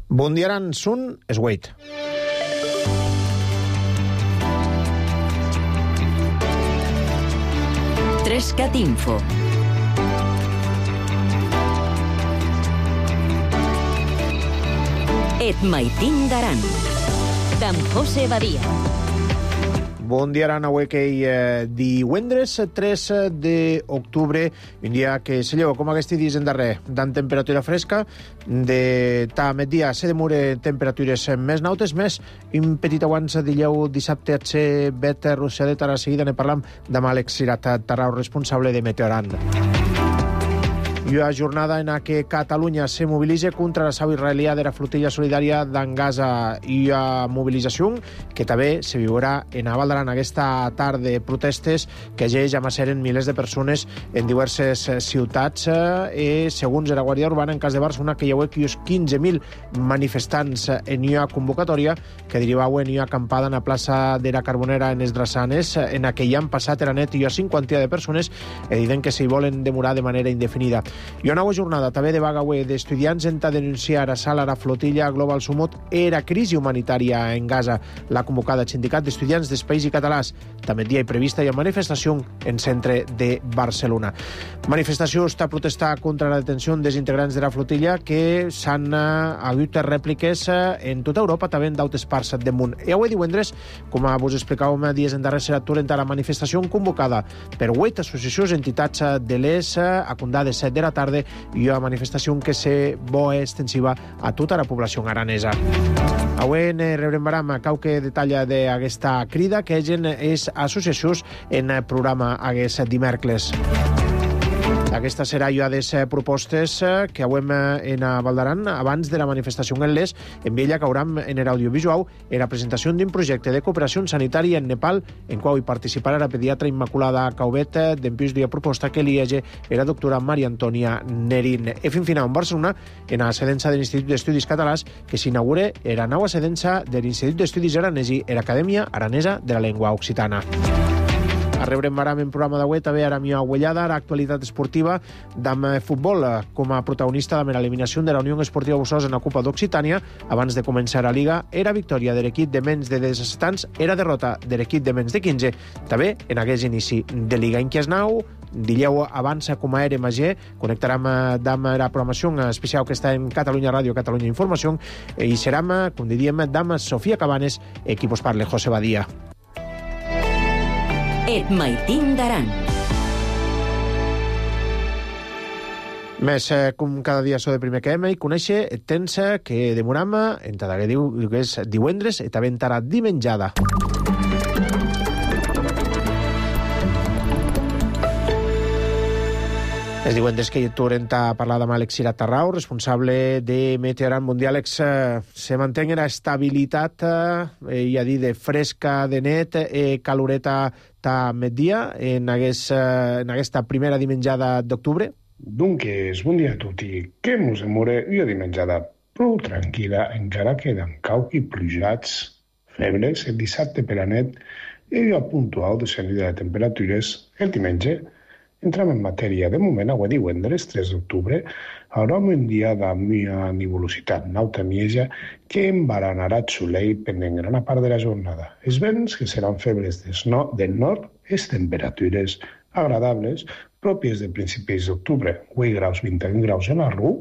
Bundiaran Sun Swait. Trescat Info. Et maitin daran. D'en José Badia. Bon dia, Arana, avui que divendres 3 d'octubre, un dia que se lleva com aquest dies en darrer, d'en temperatura fresca, de ta migdia se demora temperatures més nautes, més un petit abans de lleu dissabte a ser bet russadet, ara seguida ne parlam amb Àlex Cirat Tarrau, responsable de Meteorand. I una jornada en què Catalunya se mobilitza contra l'assau israelià de la flotilla solidària d'en Gaza i una mobilització que també se viurà en Val d'Aran aquesta tarda. Protestes que ja amasseren milers de persones en diverses ciutats i, segons la Guàrdia Urbana, en cas de Barcelona, que hi ha 15.000 manifestants en una convocatòria que derivava en una acampada en la plaça de la Carbonera en Esdrassanes, en què hi han passat la net i una cinquantia de persones evident que s'hi volen demorar de manera indefinida. I una nova jornada també de vaga d'estudiants en denunciar a sala la flotilla Global Sumut era crisi humanitària en Gaza. La convocada Sindicat d'Estudiants dels Països Catalans també dia hi prevista i manifestació en centre de Barcelona. Manifestació està a protestar contra la detenció dels integrants de la flotilla que s'han hagut rèpliques en tota Europa, també en d'altres parts del món. I avui divendres, com vos explicàvem dies en darrer, serà turent a la manifestació convocada per 8 associacions entitats de l'ES a condades de la tarda i una manifestació que se bo extensiva a tota la població aranesa. Avui rebrem qualque detall d'aquesta crida que és associacions en el programa aquest dimecres. Aquesta serà una de les propostes que avem en Val d'Aran abans de la manifestació en l'ES. En ella cauram en l'audiovisual en la presentació d'un projecte de cooperació sanitària en Nepal en qual hi participarà la pediatra Immaculada Caubet d'enpís d'una proposta que li hagi la doctora Maria Antònia Nerín. I fin final en Barcelona en la sedença de l'Institut d'Estudis Catalans que s'inaugura la nova sedença de l'Institut d'Estudis Aranesi i l'Acadèmia Aranesa de la Llengua Occitana. Rebrem ara en programa d'avui també a la meva uellada, l'actualitat esportiva d'am futbol, com a protagonista de l'eliminació de la Unió Esportiva Bussols en la Copa d'Occitània. Abans de començar la Liga, era victòria de l'equip de menys de 17 anys, era derrota de l'equip de menys de 15, també en aquest inici de Liga. En Quiesnau, Dilleu avança com a RMG, connectarem amb la programació especial que està en Catalunya Ràdio, Catalunya Informació, i serem, com diríem, amb Sofia Cabanes, qui vos parla, José Badia. Et maitin daran. Més, com cada dia so de primer que hem i conèixer temps que demoram en cada que diu que és divendres i també entrarà dimenjada. És divendres que tornem a parlar amb Àlex Cirat Tarrau, responsable de Meteorand Mundial. Àlex, se manté la estabilitat, i a dir, de fresca de net, caloreta ta migdia en aquesta primera dimenjada d'octubre? Dunque, bon dia a tutti. Que mos demora una dimenjada prou tranquil·la, encara queden cauqui plujats, febres, el dissabte per la net i una puntual descendida de temperatures el diumenge. Entrem en matèria. De moment, avui divendres, 3 d'octubre, haurà un dia de molta nuvolositat, nauta mieja, que embaranarà el solell pendent gran part de la jornada. Els vents, que seran febles del nord, les temperatures agradables, pròpies de principis d'octubre, 8 graus, 21 graus en Arru,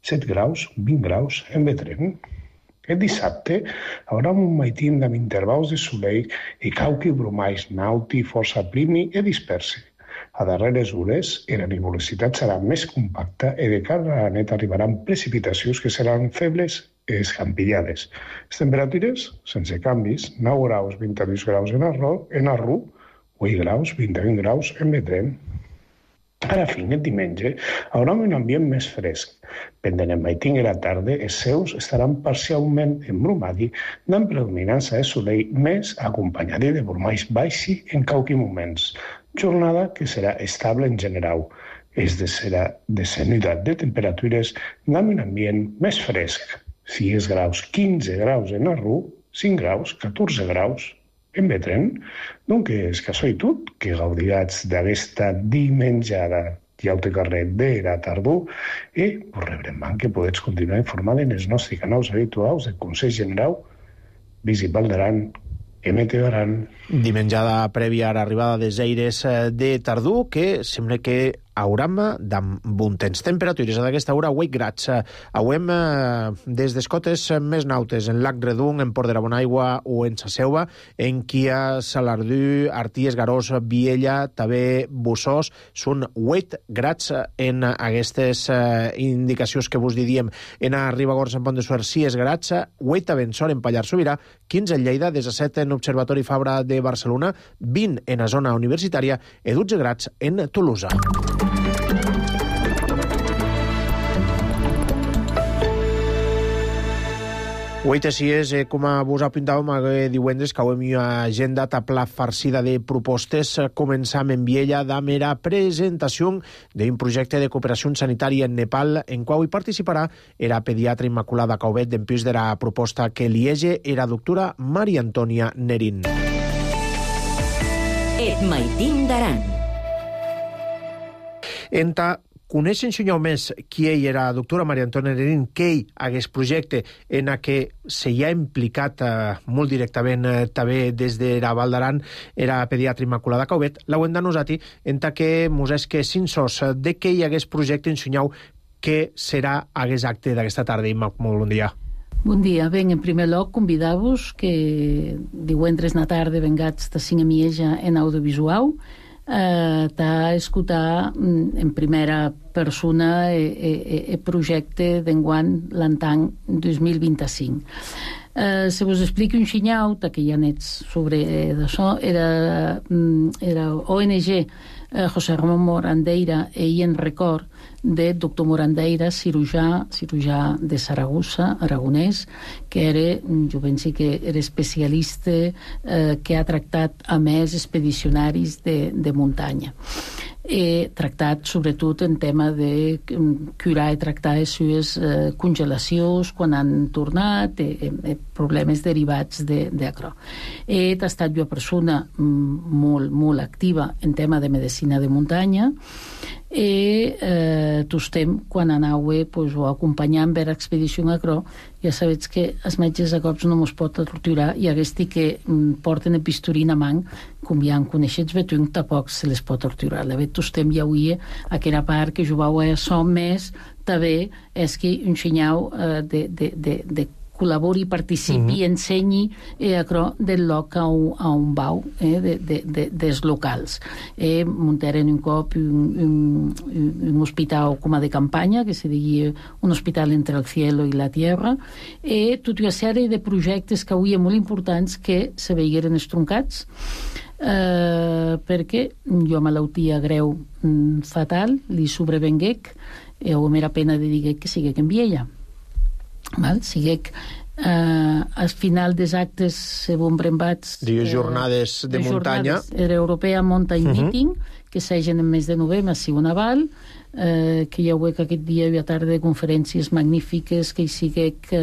7 graus, 20 graus en Betrem. El dissabte haurà un maitín amb intervals de solell i cauqui bromais nauti, força primi i dispersi. A darreres hores, la nuvolositat serà més compacta i de cara a la nit arribaran precipitacions que seran febles i escampillades. Les temperatures, sense canvis, 9 graus, 22 graus en Arru, 8 graus, 21 graus en Betrem. A la fin, el diumenge, haurà un ambient més fresc. Pendent el maitín i la tarda, els seus estaran parcialment embrumats, amb predominança de solell més acompanyat de bromais baixi en cauqui moments. Jornada que serà estable en general. És de descenida de temperatures amb un ambient més fresc. 6 graus, 15 graus en Arru, 5 graus, 14 graus en Betrem. Donc, és que soy tot que gaudiràs d'aquesta dimenjada. ja ho té carrer d'era tardor, i us rebrem que podeu continuar informant en els nostres canals habituals de Consell General, Visip Val d'Aran, MT Aran. Dimenjada prèvia a l'arribada des aires de tardor, que sembla que hauram d'un temps. Temperatures d'aquesta hora, 8 grads. Auem des d'escotes més nautes, en Lac Redung, en Port de la Bonaigua o en Sa Selva, en Quia, Salardú, Arties, Garós, Viella, també Bussós, són 8 grads en aquestes indicacions que vos diríem. En Ribagorça, en Pont de Suert, 6 grads, 8 a Bensor, en Pallars Sobirà, 15 en Lleida, 17 en Observatori Fabra de Barcelona, 20 en la zona universitària i 12 grads en Tolosa. Avui així és, com vos apuntàvem, divendres que avui hi ha agenda tapla farcida de propostes. Començam en Viella amb la presentació d'un projecte de cooperació sanitària en Nepal, en qual hi participarà la pediatra Immaculada Cauvet, d'empís de la proposta que liege la doctora Maria Antònia Nerín. Et maitim d'Aran. Enta coneixen senyor més qui ell era, la doctora Maria Antònia Nerín, que ell hagués projecte en què se hi ha implicat molt directament també des de la Val d'Aran era pediatra Immaculada Cauvet, la ho hem d'anosati en que mos és que sinsos de que hi hagués projecte en senyau que serà hagués acte d'aquesta tarda. Molt bon dia. Bon dia. Ben, en primer lloc, convidar-vos que divendres na tarda vengats de cinc a Mieja en audiovisual a escoltar en primera persona el projecte d'enguany l'Antang 2025. Se vos expliqui un xinyau, que ja n'ets sobre d'això, era ONG José Ramón Morandeira i en record de doctor Morandeira, cirurgià de Saragossa, aragonès, que era, jo penso que era especialista que ha tractat a més expedicionaris de muntanya. He tractat sobretot en tema de curar i tractar les seves congelacions quan han tornat, problemes derivats d'això. He estat una persona molt activa en tema de medicina de muntanya i tostem quan anava o acompanyant per expedició a Acro, ja sabets que els metges a cops no mos pot torturar i aquesta que porten el bisturí a mà, com ja en coneixets betung, tampoc se les pot torturar. La vet tostem ja avui aquella part que jugau a això més també és que un senyal de col·labori, participi, ensenyi del lloc a un bau dels locals. Muntaren un cop un hospital com a de campanya, que se digui un hospital entre el cielo i la tierra, i tota una sèrie de projectes que avui molt importants que se veigueren estroncats perquè jo malaltia greu fatal li sobrevenguec i ho m'era pena de dir que siguec en Viella. Siguec al final dels actes se van brembats jornades de muntanya, era Europea Mountain Meeting, que s'hagen en mes de novembre a Sigonaval, que hi ha aquest dia i a tarda de conferències magnífiques, que hi siguec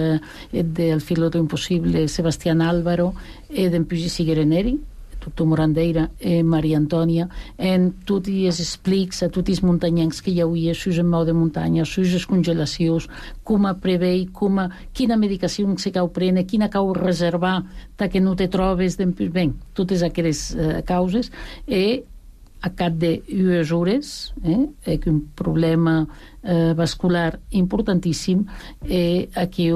del Filotro Impossible Sebastián Álvaro i d'en Puig i Siguereneri, doctor Morandeira i Maria Antònia, en tots els explics a tots els muntanyencs que hi havia, sus en mau de muntanya, sus congelacions, com a prevei, quina medicació se cau prene, quina cau reservar, que no te trobes, ben, totes aquestes causes, i a cap de 2 hores, un problema vascular importantíssim, i aquí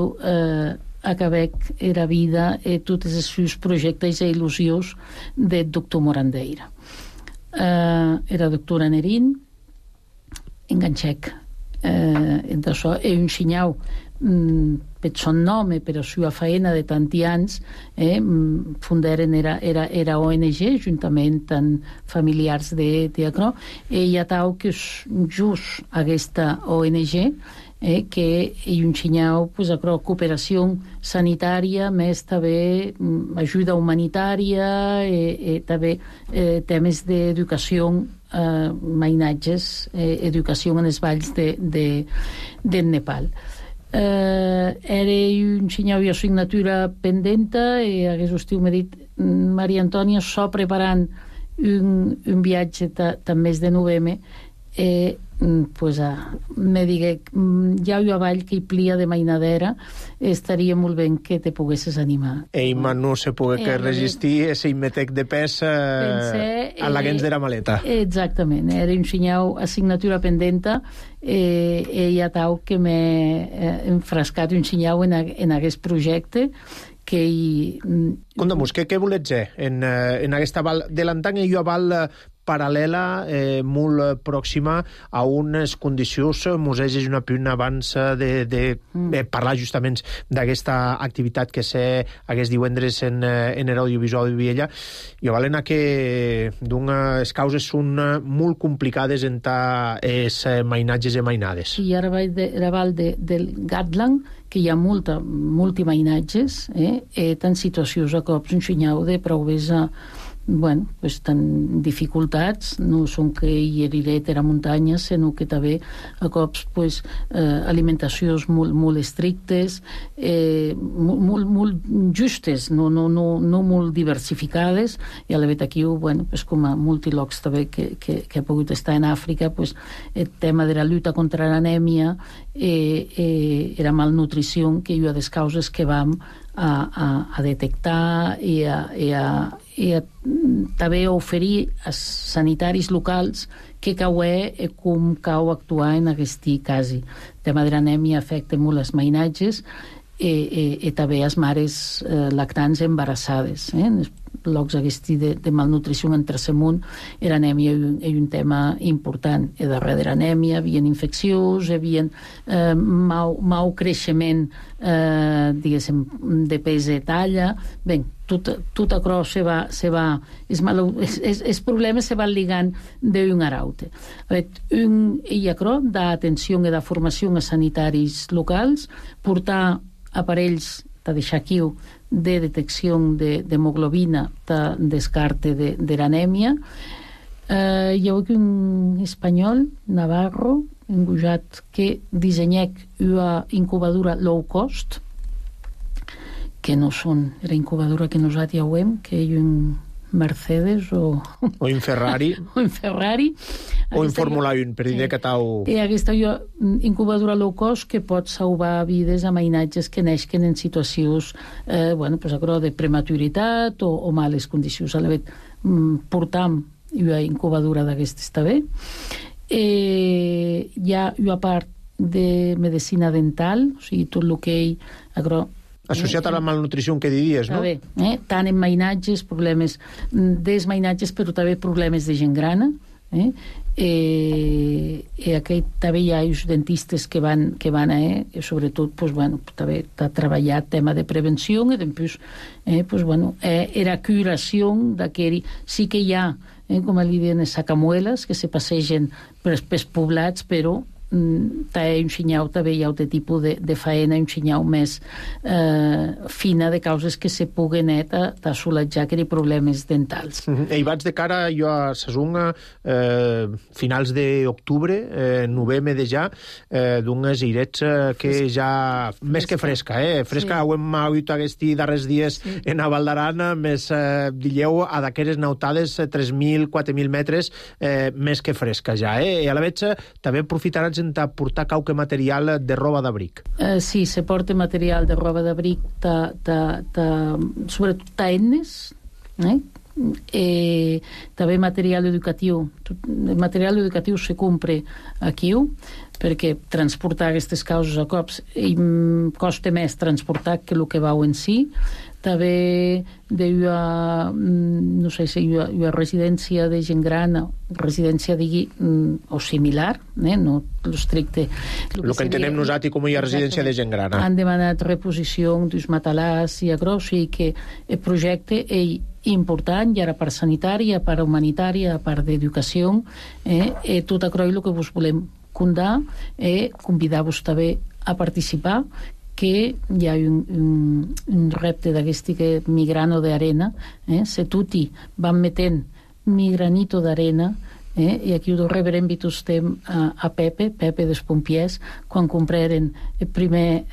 acabec era vida i tots els seus projectes i il·lusions del doctor Morandeira. Era doctora Nerín, enganxec entre això, i un xinyau per son nom i per la seva feina de tanti anys, fundaren era ONG juntament amb familiars d'Acro, i hi ha tau que just aquesta ONG que hi un xinyau cooperació sanitària, més també ajuda humanitària i també temes d'educació, mainatges, educació en els valls del Nepal. Era un xinyau i assignatura pendenta i hagués estiu m'ha dit Maria Antònia so preparant un viatge també mes de novembre pues, me digué ja jo avall que hi plia de mainadera estaria molt ben que te poguesses animar. No se pogué que resistir ese imetec de pes a la gens de la maleta. Exactament, era un senyau assignatura pendenta ja tau que m'he enfrascat un senyau en aquest projecte que Conta'm-nos, què volets dir en aquesta val de l'antany i aval paral·lela, molt pròxima a unes condicions, mos hegis una puna abans de parlar justament d'aquesta activitat que sé aquest divendres en l'audiovisual de Viella, i valen que d'unes causes són molt complicades en els mainatges i mainades. I ara val del Gatland, que hi ha multimainatges, tant situacions a cops un senyau de provesa tan dificultats, no són que hi heriret a la muntanya, sinó que també a cops alimentacions molt estrictes, molt justes, no molt diversificades, i a la vet aquí, com a multilocs també que ha pogut estar en Àfrica, el tema de la lluita contra l'anèmia era malnutrició, que hi ha des causes que vam a detectar i a també oferir als sanitaris locals que caué com cau actuar en aquest cas. El tema de l'anèmia afecta molt els mainatges i també les mares lactants embarassades. Locs aquesta de malnutrició en tercer món, l'anèmia és un tema important. I darrere de l'anèmia hi havia infeccions, hi havia mau creixement de pes i talla. Bé, tot això els problemes se van ligant d'un a l'altre. I això d'atenció i de formació a sanitaris locals, portar aparells de deixar aquí de detecció d'hemoglobina, de descarte de l'anèmia. Hi ha un espanyol, Navarro, engujat, que dissenyec una incubadora low cost, que no són la incubadora que nosaltres ja veiem, que hi ha un Mercedes o un Ferrari o un Ferrari o un Fórmula 1 per dir que tau... I aquesta incubadora low cost que pot salvar vides a mainatges que neixen en situacions de prematuritat o males condicions. A la vet portam una incubadora d'aquestes també. Hi ha una part de medicina dental, o sigui, tot el que hi associat a la malnutrició que diries, no? Tant en mainatges, problemes mainatges, però també problemes de gent grana. Aquí també hi ha els dentistes que van sobretot, també ha treballat tema de prevenció i després, era curació d'aquell... Sí que hi ha, com li diuen, sacamueles que se passegen pels poblats, però té un senyal també hi ha un tipus de faena, un senyal més fina de causes que se puguen assolatjar que hi ha problemes dentals. I vaig de cara jo a Sasunga finals d'octubre, novembre de ja, d'unes irets que ja més que fresca, fresca ho hem hagut aquests darrers dies en a Val d'Aran, més dilleu a d'aquelles nautades 3.000, 4.000 metres més que fresca ja, i a la veig també aprofitaran en portar qualque material de roba d'abric. Sí, se porta material de roba d'abric sobretot taennes, també material educatiu. El material educatiu se compra aquí, perquè transportar aquestes causes a cops costa més transportar que el que vau en si. També no sé si hi ha una residència de gent gran, residència o similar, no l'estricte. El que entenem nosaltres com hi ha residència de gent gran. Han demanat reposició dels matalars i agros, i que el projecte és important, i ara part sanitària, part humanitària, part d'educació, tot això és el que vos volem contar, convidar-vos també a participar, que hi ha un repte d'aquest que migrano d'arena, se tutti van metent migranito d'arena, i aquí ho rebrem vitustem a Pepe dels pompiers, quan compraren el primer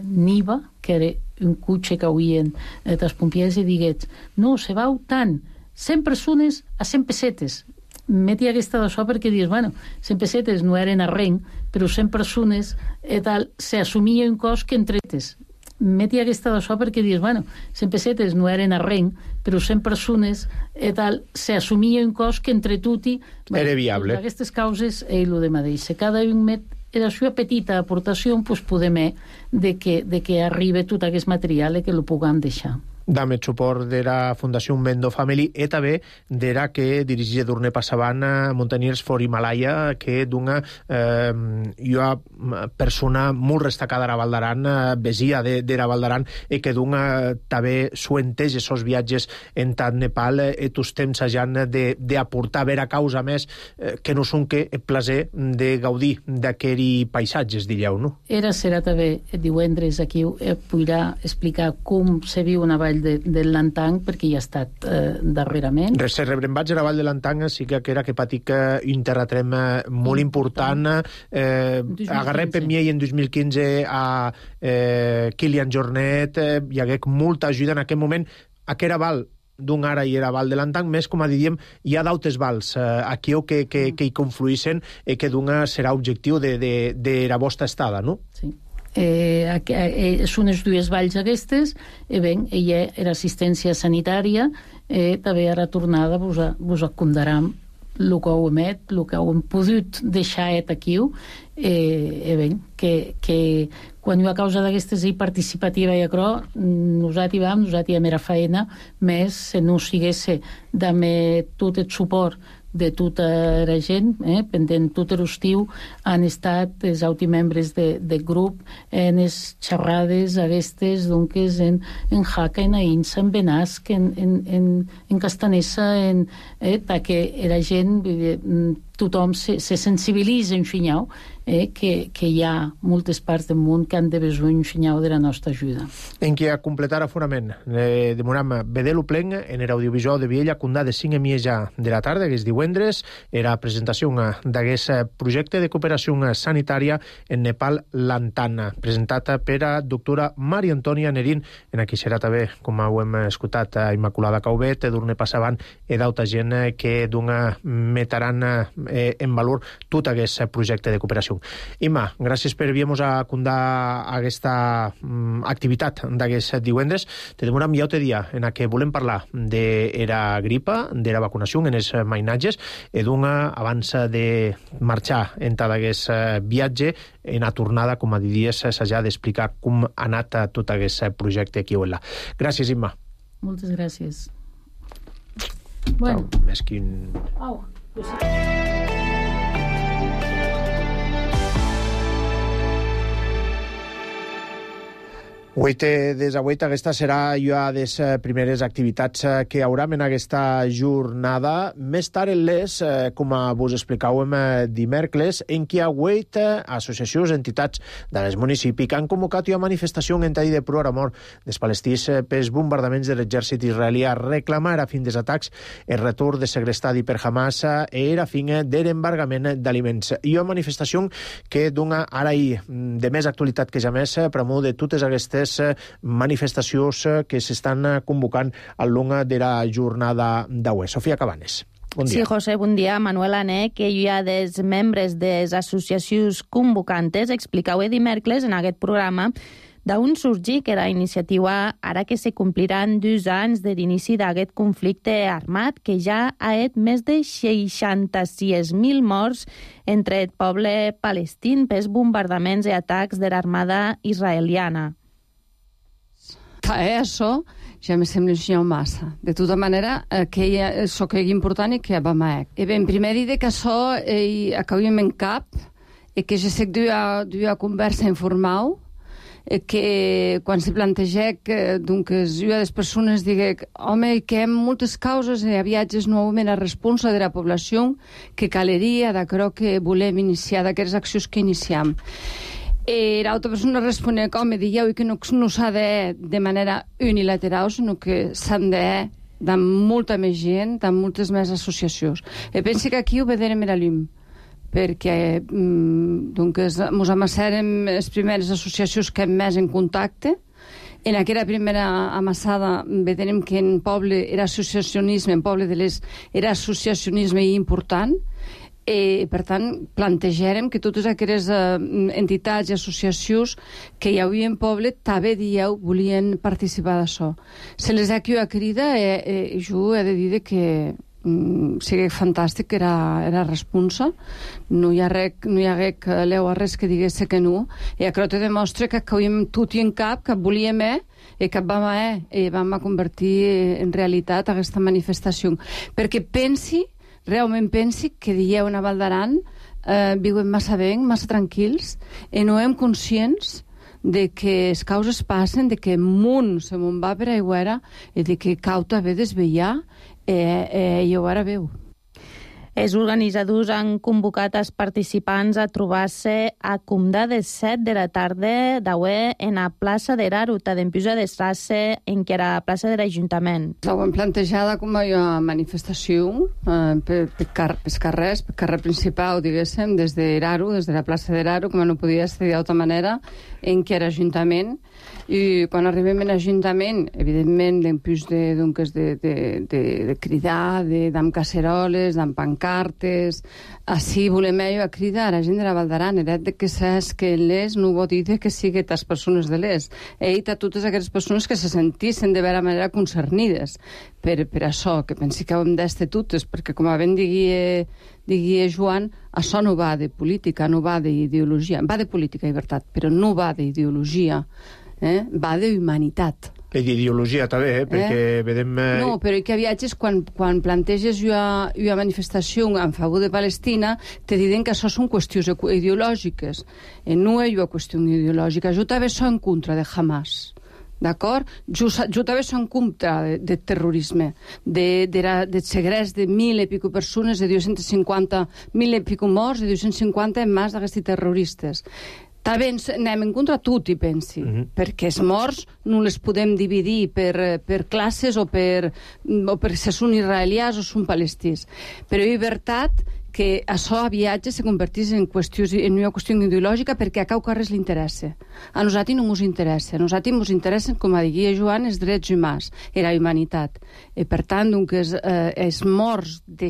Niva, que era un cotxe que havien dels pompiers, i digués, no, se vau tant, 100 persones a 100 pessetes. meti aquesta d'això perquè dius, bueno, 100 pessetes no eren arrenc, però 100 persones i tal, s'assumia un cost que entretes. Meti aquesta d'això perquè dius, bueno, 100 pessetes no eren arrenc, però 100 persones i tal, s'assumia un cost que entre tutti... Era viable. Aquestes causes ell ho de mateix. Cada un met la seva petita aportació, pues, podem de que arribi tot aquest material i que lo puguem deixar. Dame suport de la Fundació Mendo Family e també de la que dirigeix d'urne passavant Mountaineers for Himalaya, que d'una persona molt destacada a la Val d'Aran, vesia de la Val d'Aran, i que d'una també suenteix esos viatges en tant Nepal i tots temps hagin d'aportar a veure causa més que no són que el plaer de gaudir d'aquells paisatges, diríeu, no? Era serà també divendres aquí podrà explicar com se viu una vall de Lantang, perquè hi ha estat darrerament. Se rebrembatge a la Vall de Lantang sí que era que patic un terratrem molt important. Agarrem per mi en 2015 a Kilian Jornet, hi hagué molta ajuda en aquest moment. Aquera val d'un ara i era Val de Lantang, més, com a diríem, hi ha d'altres vals aquí que hi confluïssen i que d'una serà objectiu de la vostra estada, no? Sí. Són les dues valls aquestes, ella era assistència sanitària, també ara tornada vos acondaram el que heu emet, el que heu pogut deixar aquí, que quan hi ha causa d'aquestes participativa i acrò, nosaltres era feina, més se no sigués d'haver tot el suport de tota la gent, pendent tot l'estiu, han estat els membres del grup en les xerrades aquestes, doncs, en Jaca, en Aïnsa, en Benasc, en Castanessa, perquè la gent, tothom se sensibilitza en Xinyau, que hi ha moltes parts del món que han de besar un Xinyau de la nostra ajuda. En què a completar aforament, demoram vedelu plen en l'audiovisual de Viella, condà de 5:30 de la tarda, que és divendres, era presentació d'aquest projecte de cooperació sanitària en Nepal Lantana, presentat per a doctora Maria Antònia Nerín, en aquí serà també, com ho hem escoltat, a Immaculada Caubet, d'urne passavant, i d'altra gent que metaran en valor tot aquest projecte de cooperació. Imma, gràcies per enviar-nos a condar aquesta activitat d'aquest divendres. Te demoram ja un dia en què volem parlar de la gripa, de la vacunació en els mainatges, i d'una, abans de marxar en tot aquest viatge, en la tornada, com a diries, s'ha d'explicar com ha anat tot aquest projecte aquí o allà. Gràcies, Imma. Moltes gràcies. Bueno. Més quin... Aquesta serà ja de les primeres activitats que hi haurà en aquesta jornada. Més tard en les, com vos explicàvem dimecres, en què hi ha associacions, entitats dels municipis que han convocat una manifestació en tall de pro a mort dels palestins pels bombardaments de l'exèrcit israelí a reclamar a fin dels atacs el retorn de segrestadi per Hamas i a fin de l'embargament d'aliments. I una manifestació que dona ara de més actualitat que ja més promou de totes aquestes manifestacions que s'estan convocant al long de la jornada d'avui. Sofia Cabanes. Bon dia. Sí, José, bon dia. Manuel Ané, que hi ha dels membres de les associacions convocantes, explicau dimecres en aquest programa d'on sorgir que la iniciativa ara que se compliran 2 anys de l'inici d'aquest conflicte armat que ja ha fet més de 66.000 morts entre el poble palestí pels bombardaments i atacs de l'armada israeliana. Això ja me sembla un massa. De tota manera, que això que és important i que va mai. E ben, primer dir que això acabem en cap i que ja sé que d'una conversa informal que quan se planteja que una de les persones digui home, que hi ha moltes causes i a viatges novament a responsa de la població que caleria d'acrò que volem iniciar, d'aquestes accions que iniciem. L'altra persona responia com dieu que no s'ha de manera unilateral, sinó que s'han de molta més gent, de moltes més associacions. Penso que aquí ho veurem a la llum, perquè ens amassarem les primeres associacions que hem més en contacte En aquella primera amassada veiem que en poble era associacionisme, en poble de l'Est era associacionisme important, per tant, plantejarem que totes aquelles entitats i associacions que hi havia en poble també dieu volien participar d'això. Se les ha aquí a crida jo he de dir que sigui fantàstic, era responsa, no hi hagué que leu a res que digués que no, i això te demostra que havíem tot i en cap, que volíem i que vam convertir en realitat aquesta manifestació. Perquè realment pensi que dieu a Val d'Aran viuen massa bé, massa tranquils, i no hem conscients de que les causes passen, de que el món se me'n va per aigüera i de que cau també desvetllar i ho ara veu. Els organitzadors han convocat els participants a trobar-se a Comdà de 7 de la tarda d'avui en la plaça de Raruta d'Empiusa de Strasse, en què era la plaça de l'Ajuntament. Ho hem plantejada com a manifestació per carrer principal, diguéssim, des de Raru, des de la plaça de Raru, com no podia ser d'altra manera, en què era Ajuntament. I quan arribem a l'Ajuntament, evidentment, l'empús de cridar, d'amb caceroles, d'amb pancartes, així volem a cridar a la gent de la Val d'Aran, de que saps que l'Est no vol dir que sigui les persones de l'Est, a totes aquelles persones que se sentissin de vera manera concernides per això, que pensi que ho hem d'estar totes, perquè com ben digui Joan, això no va de política, no va d'ideologia, va de política i veritat, però no va d'ideologia, va d'humanitat. I d'ideologia també, perquè vedem... No, però que a viatges, quan planteges una manifestació en favor de Palestina, te diuen que això són qüestions ideològiques. No és una qüestió ideològica. Jo també soc en contra de Hamas. D'acord? Jo també soc en contra de terrorisme, de segrest de 1.000 i pico persones, de 250, 1.000 i pico morts, de 250 en mans d'aquests terroristes. També anem en contra tot, i pensi, perquè els morts no les podem dividir per classes o per si són israelians o són palestins. Però és veritat que això a viatge se convertís en una qüestió ideològica perquè a cau res li interessa. A nosaltres no ens interessa. A nosaltres ens interessen, com diria Joan, els drets humans, la humanitat. I per tant, els morts de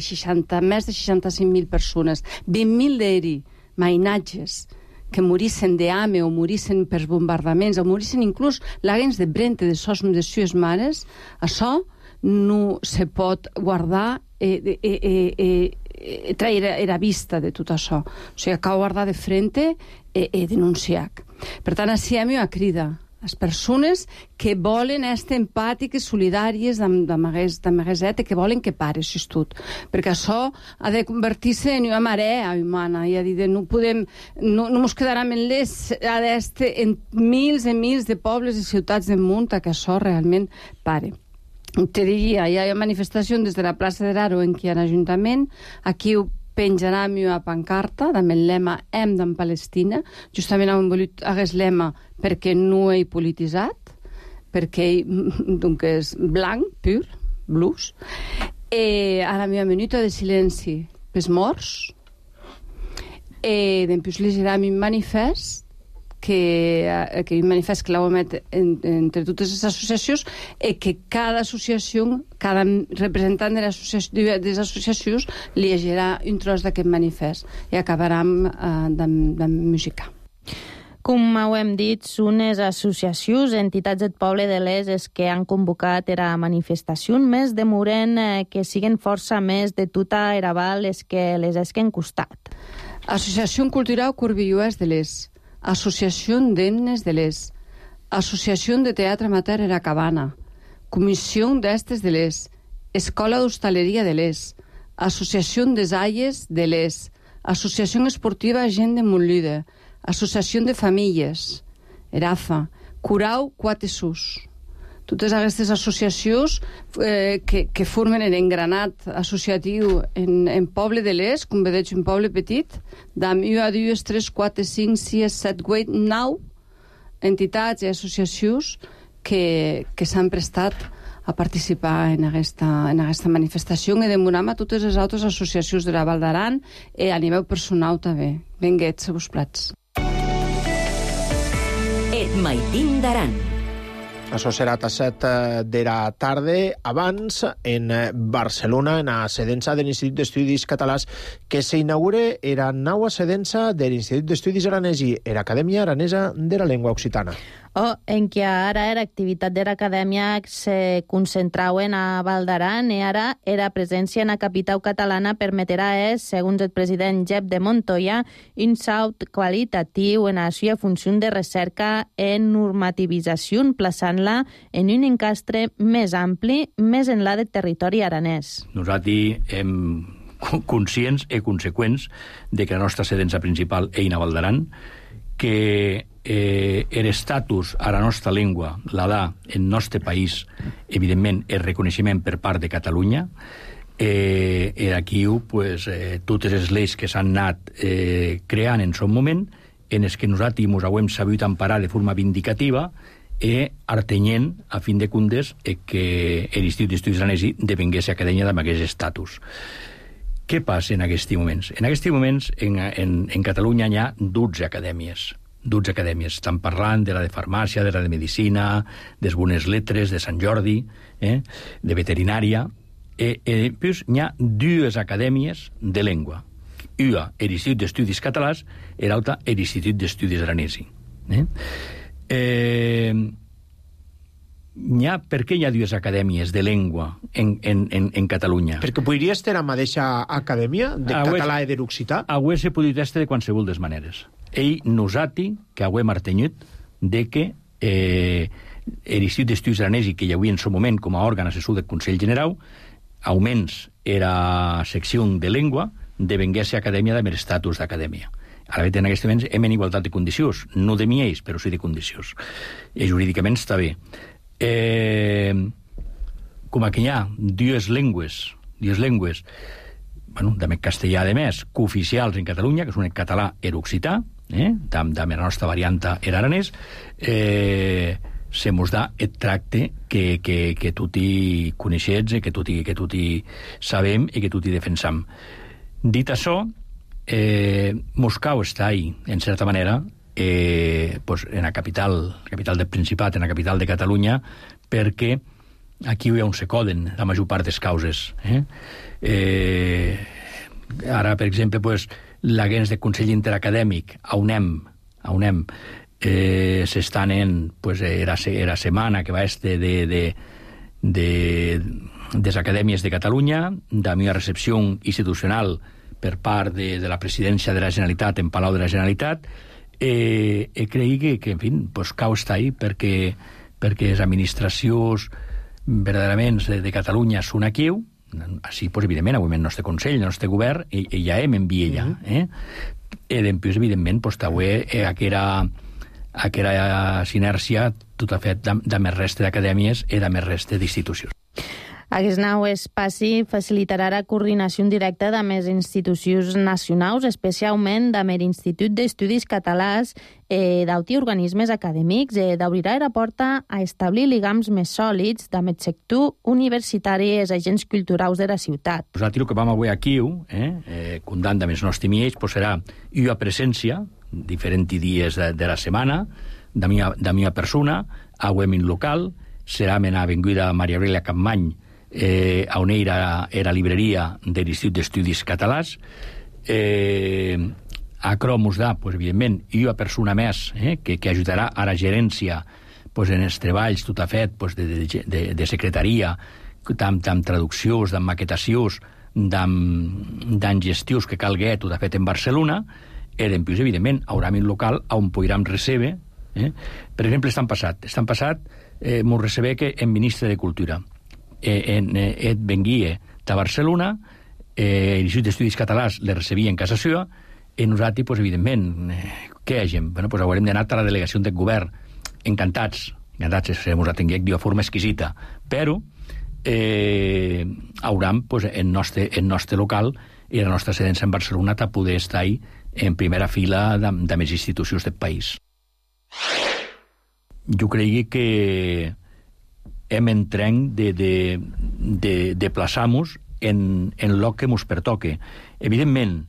més de 65.000 persones, 20.000 d'eri, mainatges, que morissen d'hame o morissen per bombardaments o morissen inclús laguens de brente de sos de sues mares, això no se pot guardar traire a vista de tot això. O sigui, cal guardar de frente i denunciar. Per tant, així hem una crida les persones que volen estar empàtiques, solidàries d'amagueset, que volen que pare això tot. Perquè això ha de convertir-se en una marea humana, i ha dit, no ens quedarà en l'est, ha d'estar en mils i mils de pobles i ciutats del món que això realment pare. Te diria, hi ha una manifestació des de la plaça de Raro en què hi ha l'Ajuntament, aquí penjarem una pancarta amb el lema Hem d'en Palestina. Justament hem volut aquest lema perquè no he polititzat, perquè és blanc, pur, blues. A la meva minuta de silenci pels morts, després llegirem un manifest que un manifest que l'heu emet entre totes les associacions i que cada associació, cada representant de les associacions llegirà un tros d'aquest manifest i acabarem de música. Com ho hem dit, són les associacions, entitats del poble de l'Est els que han convocat la manifestació, més demoren que siguen força més de tota era Val les que les esquen costat. Associació Cultural Corbilluès de l'Est, Associació d'Himnes de l'Est, Associació de Teatre Amateur Era Cabana, Comissió d'Estes de l'Est, Escola d'Hostaleria de l'Est, Associació des Aies de l'Est, Associació Esportiva Gent de Montlide, Associació de Famílies, ERAFA, Curau Quatesús. Totes aquestes associacions que formen l'engranat associatiu en poble de l'Est, com veig un poble petit, d'am 1, 2, 3, 4, 5, 6, 7, 8, 9 entitats i associacions que s'han prestat a participar en aquesta manifestació i demoram a totes les altres associacions de la Val d'Aran i a nivell personal també. Benguets a vos plats. Et Maitín d'Aran. Això serà a 7 de la tarda. Abans, en Barcelona, en la sedença de l'Institut d'Estudis Catalans, que s'inaugura la nova sedença de l'Institut d'Estudis Aranesi, l'Acadèmia Aranesa de la Llengua Occitana. En què ara l'activitat de l'acadèmia se concentrava a Val d'Aran i ara la presència en la capital catalana permetrà, segons el president Jep de Montoya, un salt qualitatiu en la seva funció de recerca en normativització, plaçant-la en un encastre més ampli, més enllà del territori aranès. Nosaltres hem conscients i conseqüents de que la nostra sedença principal és a Val d'Aran, que l'estatus a la nostra llengua la dà en el nostre país, evidentment, el reconeixement per part de Catalunya. Aquí, totes les lleis que s'han anat creant en son moment, en els que nosaltres ens hem sabut emparar de forma vindicativa i artenyent, a fin de comptes, que l'Institut d'Estudis Aranesi devengués acadèmia amb aquest estatus. Què passa en aquests moments? En aquests moments, en Catalunya hi ha 12 acadèmies. 12 acadèmies. Estan parlant de la de farmàcia, de la de medicina, de les bones lletres, de Sant Jordi, de veterinària. Després hi ha 2 acadèmies de llengua. Una, l'Institut d'Estudis Catalans, i l'altra, l'Institut d'Estudis Aranesi. Per què hi ha 2 acadèmies de llengua en Catalunya? Perquè podria estar a la mateixa acadèmia de català i de l'occità? Avui se podria estar de qualsevol des maneres. Nosaltres, que hem artenyut de que l'Institut d'Estudis Aranesi, que hi havia en el moment com a òrgan assessor del Consell General, augments era secció de llengua, devengués acadèmia amb l'estatus d'acadèmia. Ara, en aquests moments, hem en igualtat de condicions, no de miells, però sí de condicions. I jurídicament està bé. Com que hi ha 2 llengües, també castellà, a més, cooficials en Catalunya, que són el català i l'occità, també la nostra varianta era aranès, se mos da el tracte que tutti coneixets, que tutti sabem i que tutti defensam. Dit això, Moscou està ahí, en certa manera, en la capital del Principat, en la capital de Catalunya, perquè aquí on se coden la major part des causes. Ara, per exemple, la gens de Consell Interacadèmic, a UNEM, s'estan en era setmana que va estar de les acadèmies de Catalunya, de la meva recepció institucional per part de la presidència de la Generalitat en Palau de la Generalitat, creigui que, en fi, cau està ahí perquè les administracions verdaderament de Catalunya són aquí, així, evidentment, avui el nostre Consell, el nostre govern, i ja hem enviat allà. I després, evidentment, aquella sinèrcia tot ha fet de més resta d'acadèmies i de més resta d'institucions. Aquest nou espaci facilitarà la coordinació directa de més institucions nacionals, especialment de l'Institut d'Estudis Catalans, d'auti organismes acadèmics, d'obrirà la porta a establir lligams més sòlids amb el sector universitari i els agents culturals de la ciutat. Nosaltres el que vam avui aquí, comptant amb els nostres miells, serà una presència, diferents dies de la setmana, de la meva persona, avui en local, serà en l'avinguda Maria Aurelia Campmany, on era la libreria de l'Institut d'Estudis Catalans. Acro mos dà, evidentment, una persona més que ajudarà a la gerència en els treballs, tot ha fet, de secretaria, amb traduccions, amb maquetacions, amb gestions que calgui, tot ha fet en Barcelona, i després, evidentment, haurà un local on podrem recebre. Per exemple, estan passat, mos recebe que en ministre de Cultura et venguia de Barcelona, l'Institut d'Estudis Catalans le recebia en casa seva, i nosaltres, evidentment, què hagem? Haurem d'anar a la delegació del govern, encantats, se mos atenguem d'una forma exquisita, però haurem el nostre local i la nostra sedença en Barcelona a poder estar en primera fila de més institucions del país. Jo crec que hem entrenc de plaçar-nos en el que ens pertoque. Evidentment,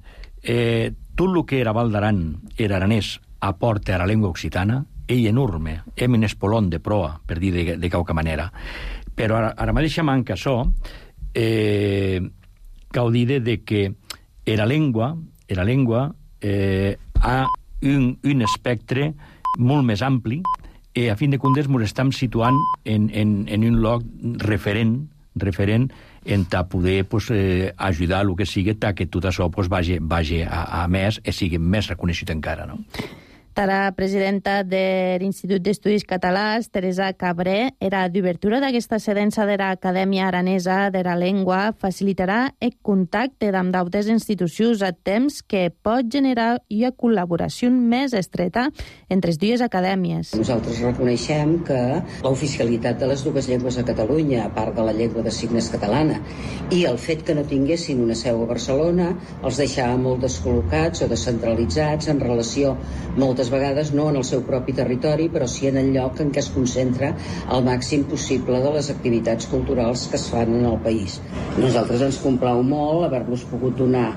tot el que era Val d'Aran era aranès aporta a la llengua occitana, ei enorme, hem un espolon de proa, per dir de qualque manera. Però ara mateixa manca això, cal dir de que la llengua ha un espectre molt més ampli i a fin de comptes ens estem situant en un lloc referent en poder ajudar el que sigui que tot això vagi a més i sigui més reconegut encara, no? La presidenta de l'Institut d'Estudis Catalans, Teresa Cabré, era d'obertura d'aquesta sedença de l'Acadèmia Aranesa de la Llengua facilitarà el contacte amb d'altres institucions a temps que pot generar una col·laboració més estreta entre les dues acadèmies. Nosaltres reconeixem que l'oficialitat de les dues llengües a Catalunya, a part de la llengua de signes catalana, i el fet que no tinguessin una seu a Barcelona els deixava molt descol·locats o descentralitzats en relació moltes vegades no en el seu propi territori, però sí en el lloc en què es concentra el màxim possible de les activitats culturals que es fan en el país. Nosaltres ens complau molt haver-los pogut donar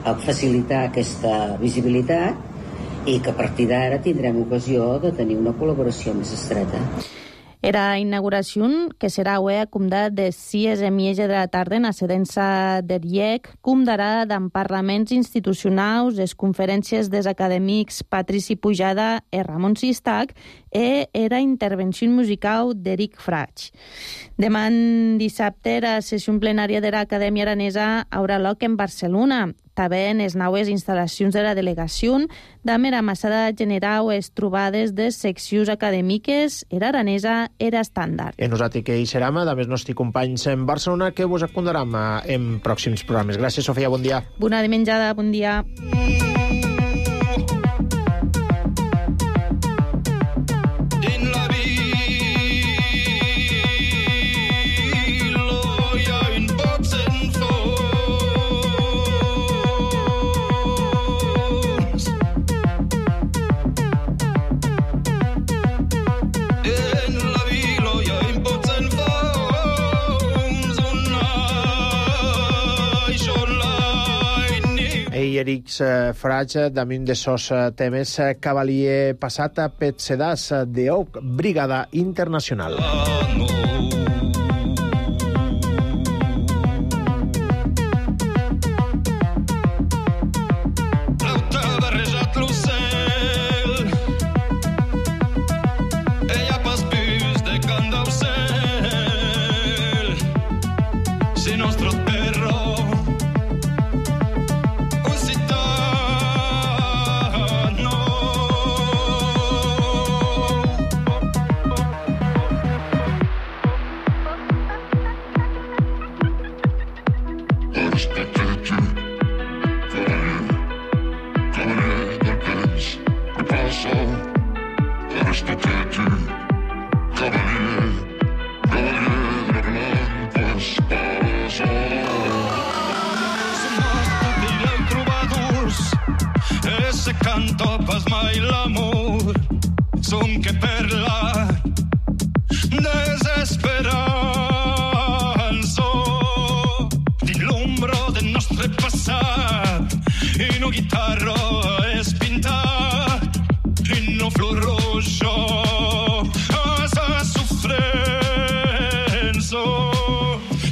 a facilitar aquesta visibilitat i que a partir d'ara tindrem ocasió de tenir una col·laboració més estreta. Era inauguració que serà avui a Comdat de 6:30 de la tarda en la sedença del IEC, comdarà d'en parlaments institucionals, les conferències dels acadèmics Patrici Pujada i Ramon Sistac i era intervenció musical d'Eric Fraig. Demà dissabte la sessió plenària de l'Acadèmia Aranesa haurà lloc en Barcelona. També en les noves instal·lacions de la delegació, d'amb era massada general es trobades de seccions acadèmiques, era aranesa, era estàndard. I nosaltres que hi serem, d'amb els nostres companys en Barcelona, que vos acondarem en pròxims programes. Gràcies, Sofia, bon dia. Bona dimenjada, bon dia. Eric Fraig, damunt de sos temes, cavalier passat a Petsedàs d'Oc, Brigada Internacional. Canto pas mai l'amor, som que perla desesperanza din l'ombro del nostre passat in un guitarro es pintat in un flor rojo a sa sofrenza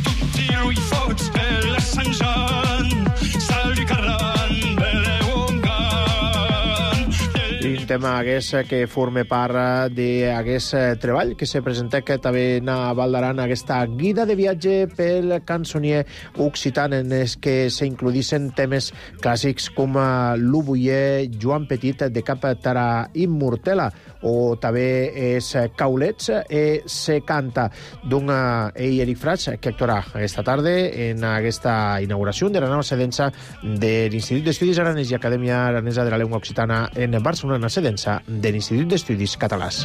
tutti lui fots per la Sant Jean salvi carran tema hagués que forma part d'aquest treball que se presenta que també a Val d'Aran aquesta guida de viatge pel cançonier occitan en els que s'includissin temes clàssics com l'Ubuyer, Joan Petit de Cap Tara Immortela o també els Caulets se canta d'un Eric Fraig que actuarà aquesta tarda en aquesta inauguració de la nova sedença de l'Institut d'Estudis Aranès i Acadèmia Aranesa de la Llengua Occitana en Barcelona, sedença de l'Institut d'Estudis Catalans.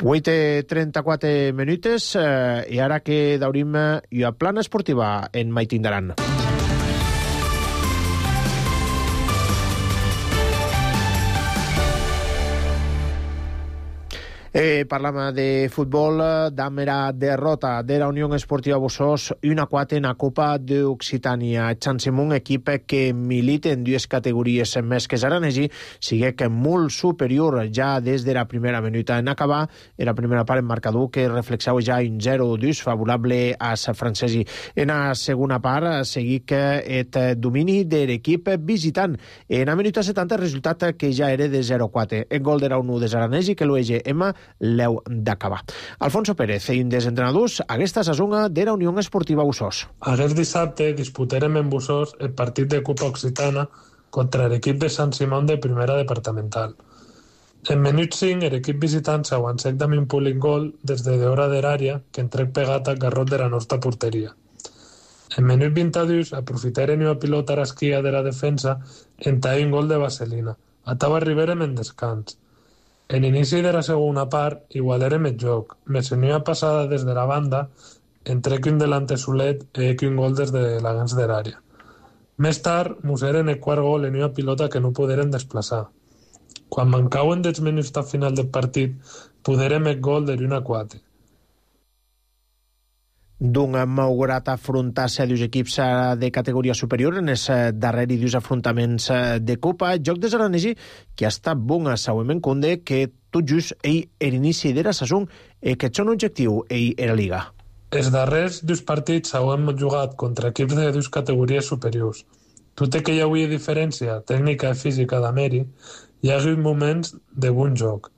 Avui té 34 minutes i ara que daurim i a plana esportiva en Maitindaran. Parlam de futbol, damera derrota de la Unió Esportiva Bussos 1-4 en la Copa d'Occitània. Xansimón, equip que milita en dues categories més que Zaranegi, sigue que molt superior ja des de la primera minuta en acabar. La primera part en marcador que reflexava ja un 0-2 favorable a sa francesi. En la segona part seguí que el domini de l'equip visitant. En la minuta 70 el resultat que ja era de 0-4. El gol de la 1 de Zaranegi que l'UEGM l'heu d'acabar. Alfonso Pérez, un dels entrenadors, aquesta sazonga de la Unió Esportiva Bussos. Aquest dissabte disputarem en Bussos el partit de Copa Occitana contra l'equip de Sant Simón de primera departamental. En minut 5, l'equip visitant s'aguancec amb un públic gol des de d'hora de l'àrea que entrec pegat al garrot de la nostra porteria. En minut 22, aprofitaren una pilota a l'esquia de la defensa en un gol de vaselina. Atava arribarem en descans. En inici de la segona part, igualarem el joc. Més en una passada des de la banda, entrec un delante solet i un gol des de l'agents de l'àrea. Més tard, museren el quart gol en una pilota que no poderen desplaçar. Quan mancaven dels minuts al final del partit, poderem el gol de l'1-4. D'un malgrat afrontar-se a dos equips de categoria superior en els darrers dos afrontaments de Copa, joc de Zaranegi que ha estat bon a Sauem en Conde, que tot just ell era inici de la saison i que són objectiu ell era Liga. Els darrers dos partits hem jugat contra equips de dues categories superiors. Tot i que hi havia diferència tècnica i física d'Ameri, hi ha hagut moments de bon joc.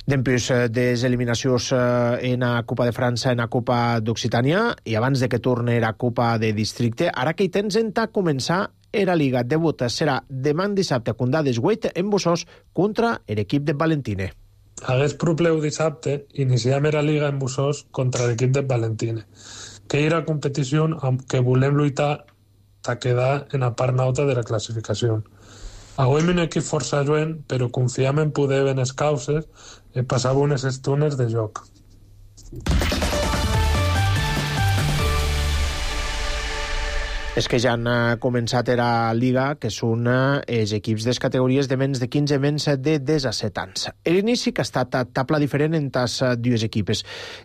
Després de les eliminacions en la Copa de França, en la Copa d'Occitània, i abans de que torni la Copa de Districte, ara que hi tens en començar la Liga. Debut serà demà dissabte a Condà d'Esgueit en Bussos contra l'equip de Valentine. Hagués probleu dissabte, iniciem la Liga en Bussos contra l'equip de Valentine, que era competició amb que volem lluitar a quedar en la part alta de la classificació. Avui un equip força lluent, però confiem en poder ben les causes i passava unes estones de joc. És que ja han començat la Liga, que són els equips de les categories de menys de 15, menys de 17 anys. L'inici que ha estat a tabla diferent en les dues equipes.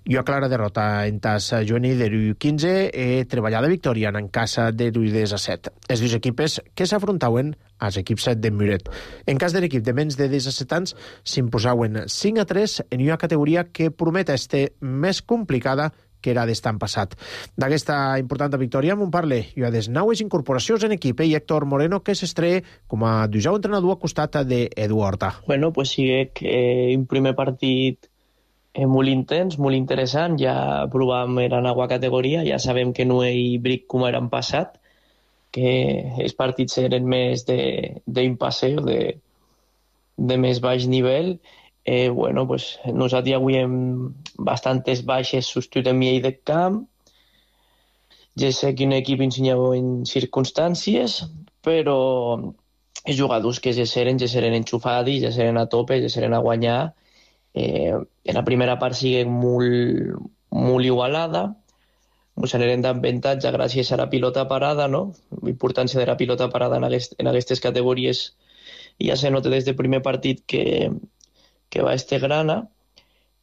I una clara derrota en les juvenil de l'U15 i treballada victòria en casa de l'U17. Les dues equipes que s'afrontaven als equips de Muret. En cas de l'equip de menys de 17 anys, s'imposaven 5-3 en una categoria que promet ser més complicada que era d'estan passat. D'aquesta important victòria m'ho parle i a des noves incorporacions en equip i Héctor Moreno, que s'estreia com a dujau entrenador a costat d'Edu Horta. Bueno, pues sigue un primer partit molt intens, molt interessant. Ja provàvem la nova categoria, ja sabem que no hi bric com era en passat, que els partits eren més d'impasse o de més baix nivell. Bueno, pues nosaltres avui hem bastantes baixes substitut en mi de camp. Ja sé que un equip ensenyava en circumstàncies, però els jugadors que ja seren enxufats, ja seren a tope, ja seren a guanyar. En la primera part sigue molt igualada. Ens anirem d'avantatge gràcies a la pilota parada, no? La importància de la pilota parada en aquestes categories ja se nota des del primer partit que va grana.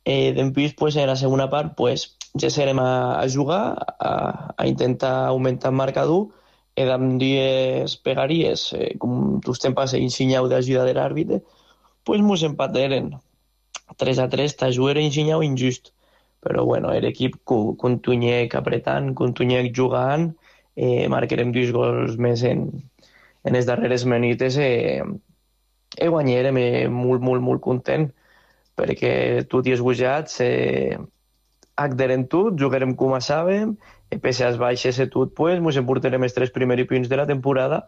Després, pues, en la segona part, pues, ja serem a jugar, a intentar augmentar el marcador, i amb dues pegaries, com tu temps i ensenyau d'ajuda de l'àrbitre, pues mos empateren. 3-3, t'ajuda era ensenyau injust. Però, bueno, l'equip continuec apretant, continuec jugant, marcarem 2 gols més en les darreres minutes i guanyarem molt content, perquè tot i esgujats acderem tot, jugarem com a sabem, i pese a les baixes i tot, pues, ens emportarem els 3 primers punts de la temporada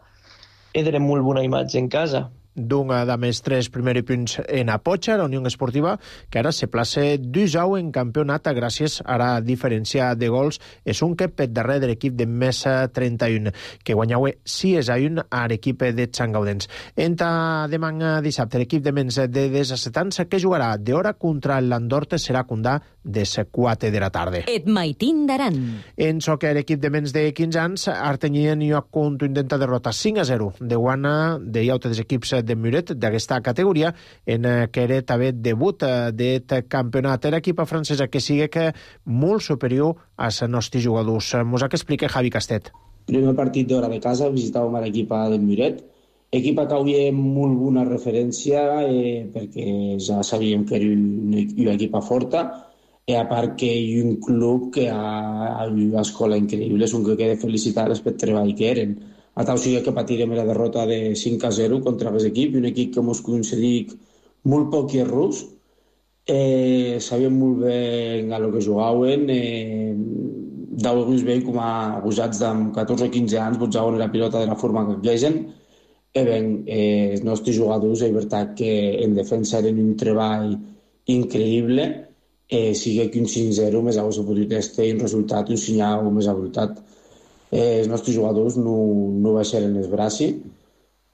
i darem molt bona imatge en casa. D'un de més 3 primers punts en Apotxa, la Unió Esportiva, que ara se plaça 2-0 en campionat gràcies a la diferència de gols. És un que per darrere de l'equip de més 31, que guanyava 6-1 a l'equip de Sant Gaudens. Entra demà dissabte l'equip de menys de 17 anys, que jugarà d'hora contra l'Andorte, serà Condà de 4 de la tarda. Et maitin d'Aran. En soccer, l'equip de menys de 15 anys, Artenyien i Ocont intenta derrotar 5-0 de guana de altres equips de Muret d'aquesta categoria, en què era també debut d'aquest campionat. Era equipa francesa que sigui que molt superior als nostres jugadors. Mos ha que explica Javi Castet. Primer partit d'hora de casa, visitàvem l'equipa del Muret, equipa que havia molt bona referència perquè ja sabíem que era una equipa forta, i a part que hi ha un club que ha una escola increïble, és un que queda felicitar-les pel treball que eren. A tal sigui que patirem la derrota de 5-0 contra aquest equip, un equip que ens concedic molt poc errors, sabíem molt bé a lo que jugaven, d'alguns veiem com a abusats de 14 o 15 anys jugaven la pilota de la forma que quegen. Els nostres jugadors, és veritat que en defensa eren un treball increïble, sigui que un 5-0 més hauria pogut estar un resultat, un senyal més avoltat. Els nostres jugadors no baixaren els braços,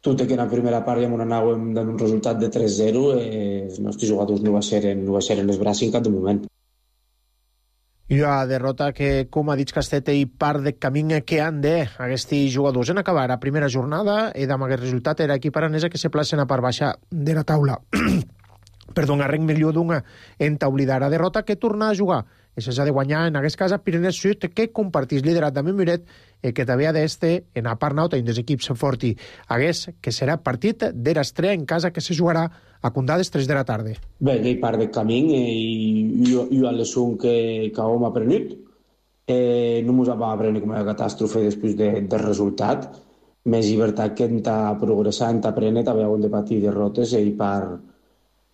tot i que en la primera part ja anàvem dant un resultat de 3-0, els nostres jugadors no baixaren els braços en cap de moment. I la derrota que, com ha dit Castet, i part de camí que han d'aquests jugadors. En acabar la primera jornada, i amb aquest resultat era equip aranesa que se placen a part baixa de la taula. Perdó, arrenc millor d'una entaulida la derrota que torna a jugar. Això s'ha de guanyar en aquest cas a Pirineu Sud, que compartís liderat també Muret, que també ha d'este en la part nauta i dels equips forti. Hagués que serà partit de l'estrella en casa que se jugarà a Condades 3 de la tarda. Bé, hi part del camí i a l'esum que hem aprenut. No ens vam aprendre com a catàstrofe després del resultat. Més llibertat que hem de progressar, hem d'aprendre, també hem de patir derrotes i part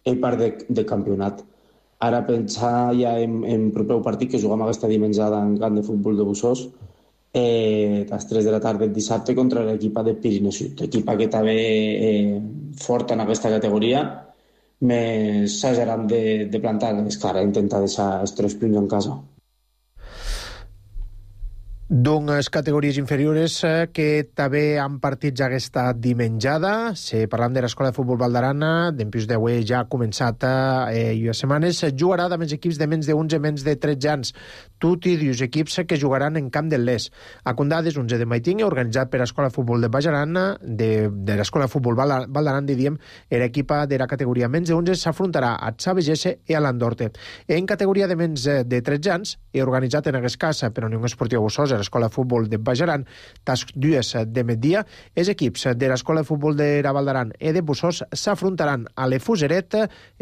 de campionat. Ara pensar ja en proper partit que juguem aquesta dimensionada en camp de futbol de Bussós a les 3 de la tarda el dissabte contra l'equipa de Pirineu Sud, equipa que també forta en aquesta categoria, més s'hageran de plantar les cares, intentar deixar els 3 punts en casa. D'unes categories inferiores que també han partits aquesta dimenjada. Parlant de l'Escola de Futbol Valdarana, d'empús d'avui ja ha començat i a setmanes, jugarà amb els equips de menys de 11, menys de 13 anys. Tot i dos equips que jugaran en camp del Les. A Condades, 11 de Maitinga, organitzat per l'Escola de Futbol de Bajarana, de l'Escola de Futbol Valdarana, diríem, l'equipa de la categoria menys de 11 s'afrontarà a Xavegesse i a l'Andorte. En categoria de menys de 13 anys, organitzat en aquest cas per Unió Esportiva Bussós, l'Escola de Futbol de Bajaran, tas dues de migdia, els equips de l'Escola de Futbol de la Valdaran i de Bussós s'afrontaran a l'Efuseret,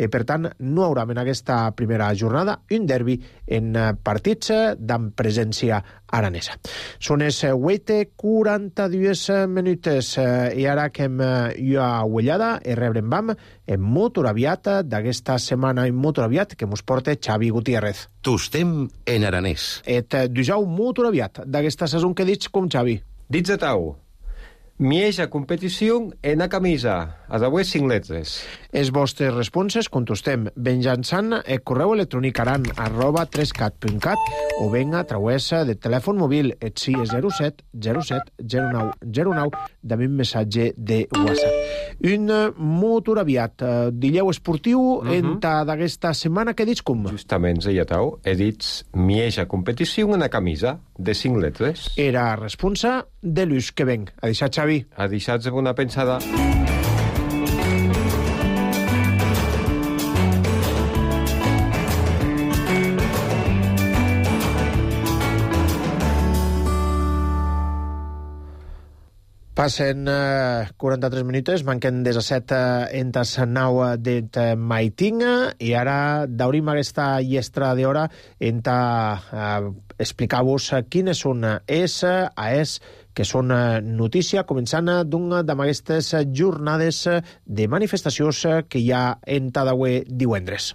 per tant no haurà en aquesta primera jornada un derbi en partits d'amp presència aranesa. Són les 8:42 minutes i ara que hem a uellada i rebrem vam en molt aviat d'aquesta setmana en molt aviat que mos porta Xavi Gutiérrez. Tostem en aranès. Et dijau molt aviat d'aquesta saison que dits com Xavi. Dits a tau. Mieja competició en a camisa, a d'avui 5 letres. Els vostres responses contestem benjançant el correu electrònic aran@3cat.cat o ben a través de telèfon mòbil et 07 07 09 09 també un missatge de WhatsApp. Un motor aviat, dilleu esportiu en d'aquesta setmana que dits com? Justament, ja tau, he dit mieja competició en a camisa de 5 letres. Era responsa de l'ús que venc. A deixar, Xavi. A deixar-se una pensada. Passen 43 minuts, manquen 17 entes 9 de Maitinga i ara daurim aquesta llestra d'hora explicar-vos quines són que són notícia, començant d'una d'aquestes jornades de manifestacions que hi ha en Tadaué divendres.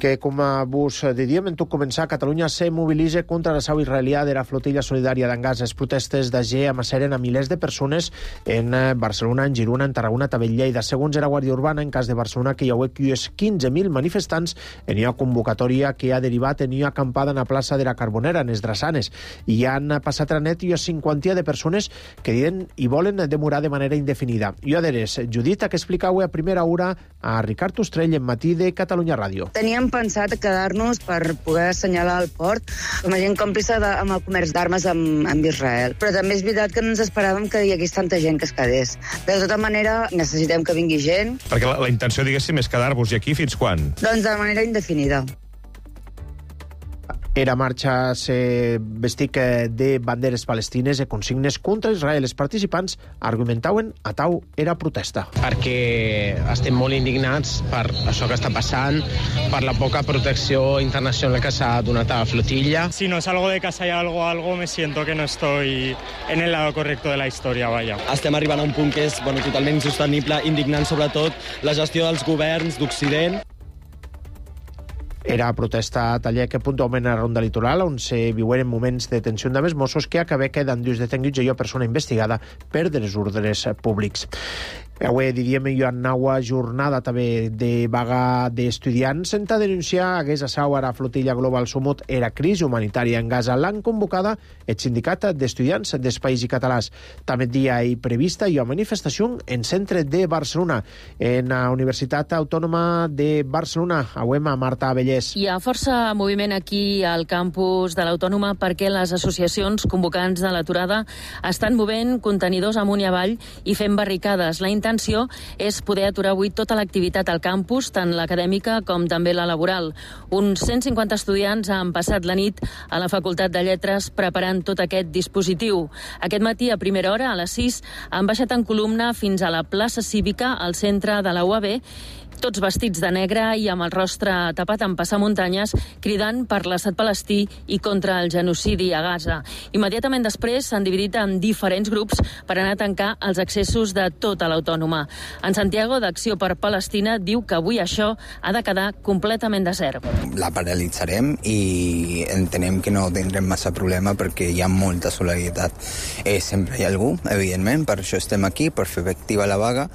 que, com vos diem, en tot començar, Catalunya se mobilitza contra l'assau israelià de la flotilla solidària d'Angàs. Les protestes d'Ager amasseren a milers de persones en Barcelona, en Girona, en Tarragona, també en Lleida. Segons la Guàrdia Urbana, en cas de Barcelona, que hi hauria 15.000 manifestants en una convocatòria que ha derivat en una acampada en la plaça de la Carbonera, en els Drassanes. I han passat a la net una cinquantia de persones que diuen i volen demorar de manera indefinida. I adheres, Judit, que explicau a primera hora a Ricard Ostrell en Matí de Catalunya Ràdio. Teníem pensat quedar-nos per poder assenyalar el port com a gent còmplice amb el comerç d'armes amb Israel. Però també és veritat que no ens esperàvem que hi hagués tanta gent que es quedés. De tota manera, necessitem que vingui gent. Perquè la intenció, diguéssim, és quedar-vos aquí fins quan? Doncs de manera indefinida. Era marxa se vestic de banderes palestines i consignes contra Israel. Els participants argumentaven a tau era protesta. Perquè estem molt indignats per això que està passant, per la poca protecció internacional que s'ha donat a la flotilla. Si no salgo de casa y algo, me siento que no estoy en el lado correcto de la història, vaya. Estem arribant a un punt que és totalment insostenible, indignant sobretot la gestió dels governs d'Occident. Era protesta a Tallec, puntualment a la Ronda Litoral, on se viuen moments de tensió amb els Mossos que acabé quedant dus detinguts i una persona investigada per desordres públics. Avui diríem hi ha una jornada també de vaga d'estudiants sense denunciar hagués assau a la flotilla Global Sumut era crisi humanitària en Gaza. L'han convocada el sindicat d'estudiants dels Països Catalans. També dia hi prevista hi ha manifestació en centre de Barcelona, en la Universitat Autònoma de Barcelona. Avui a Marta Abellés. Hi ha força moviment aquí al campus de l'Autònoma perquè les associacions convocants de l'aturada estan movent contenidors amunt i avall i fent barricades. La intenció és poder aturar avui tota l'activitat al campus, tant l'acadèmica com també la laboral. Uns 150 estudiants han passat la nit a la Facultat de Lletres preparant tot aquest dispositiu. Aquest matí, a primera hora, a les 6, han baixat en columna fins a la plaça Cívica, al centre de la UAB, tots vestits de negre i amb el rostre tapat en passamuntanyes, cridant per l'estat palestí i contra el genocidi a Gaza. Immediatament després s'han dividit en diferents grups per anar a tancar els accessos de tota l'Autònoma. En Santiago, d'Acció per Palestina, diu que avui això ha de quedar completament desert. La paralitzarem i entenem que no tindrem massa problema perquè hi ha molta solidaritat. Sempre hi ha algú, evidentment, per això estem aquí, per fer efectiva la vaga,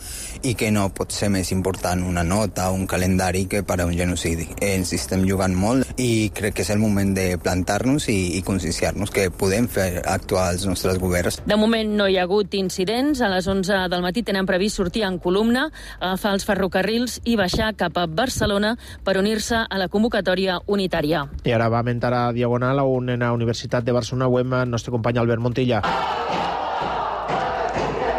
i que no pot ser més important una nota, un calendari que per a un genocidi. Ens estem jugant molt i crec que és el moment de plantar-nos i conscienciar-nos que podem fer actuar els nostres governs. De moment no hi ha hagut incidents. A les 11 del matí tenen previst sortir en columna, agafar els ferrocarrils i baixar cap a Barcelona per unir-se a la convocatòria unitària. I ara va mentar a Diagonal on en la Universitat de Barcelona ho hem el nostre company Albert Montilla.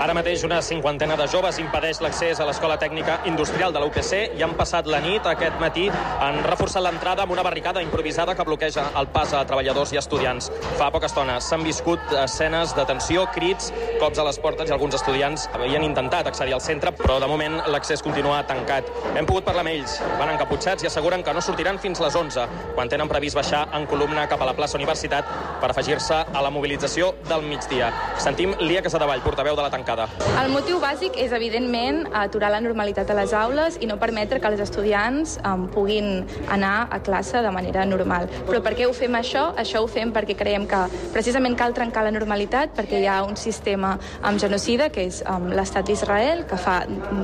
Ara mateix una cinquantena de joves impedeix l'accés a l'Escola Tècnica Industrial de la UPC i han passat la nit aquest matí. Han reforçat l'entrada amb una barricada improvisada que bloqueja el pas a treballadors i estudiants. Fa poca estona s'han viscut escenes de tensió, crits, cops a les portes i alguns estudiants havien intentat accedir al centre, però de moment l'accés continua tancat. Hem pogut parlar amb ells, van encaputxats i asseguren que no sortiran fins les 11, quan tenen previst baixar en columna cap a la plaça Universitat per afegir-se a la mobilització del migdia. Sentim Lia Casadevall, portaveu de la tancada. El motiu bàsic és, evidentment, aturar la normalitat a les aules i no permetre que els estudiants puguin anar a classe de manera normal. Però per què ho fem això? Això ho fem perquè creiem que precisament cal trencar la normalitat, perquè hi ha un sistema genocida, que és l'estat d'Israel, que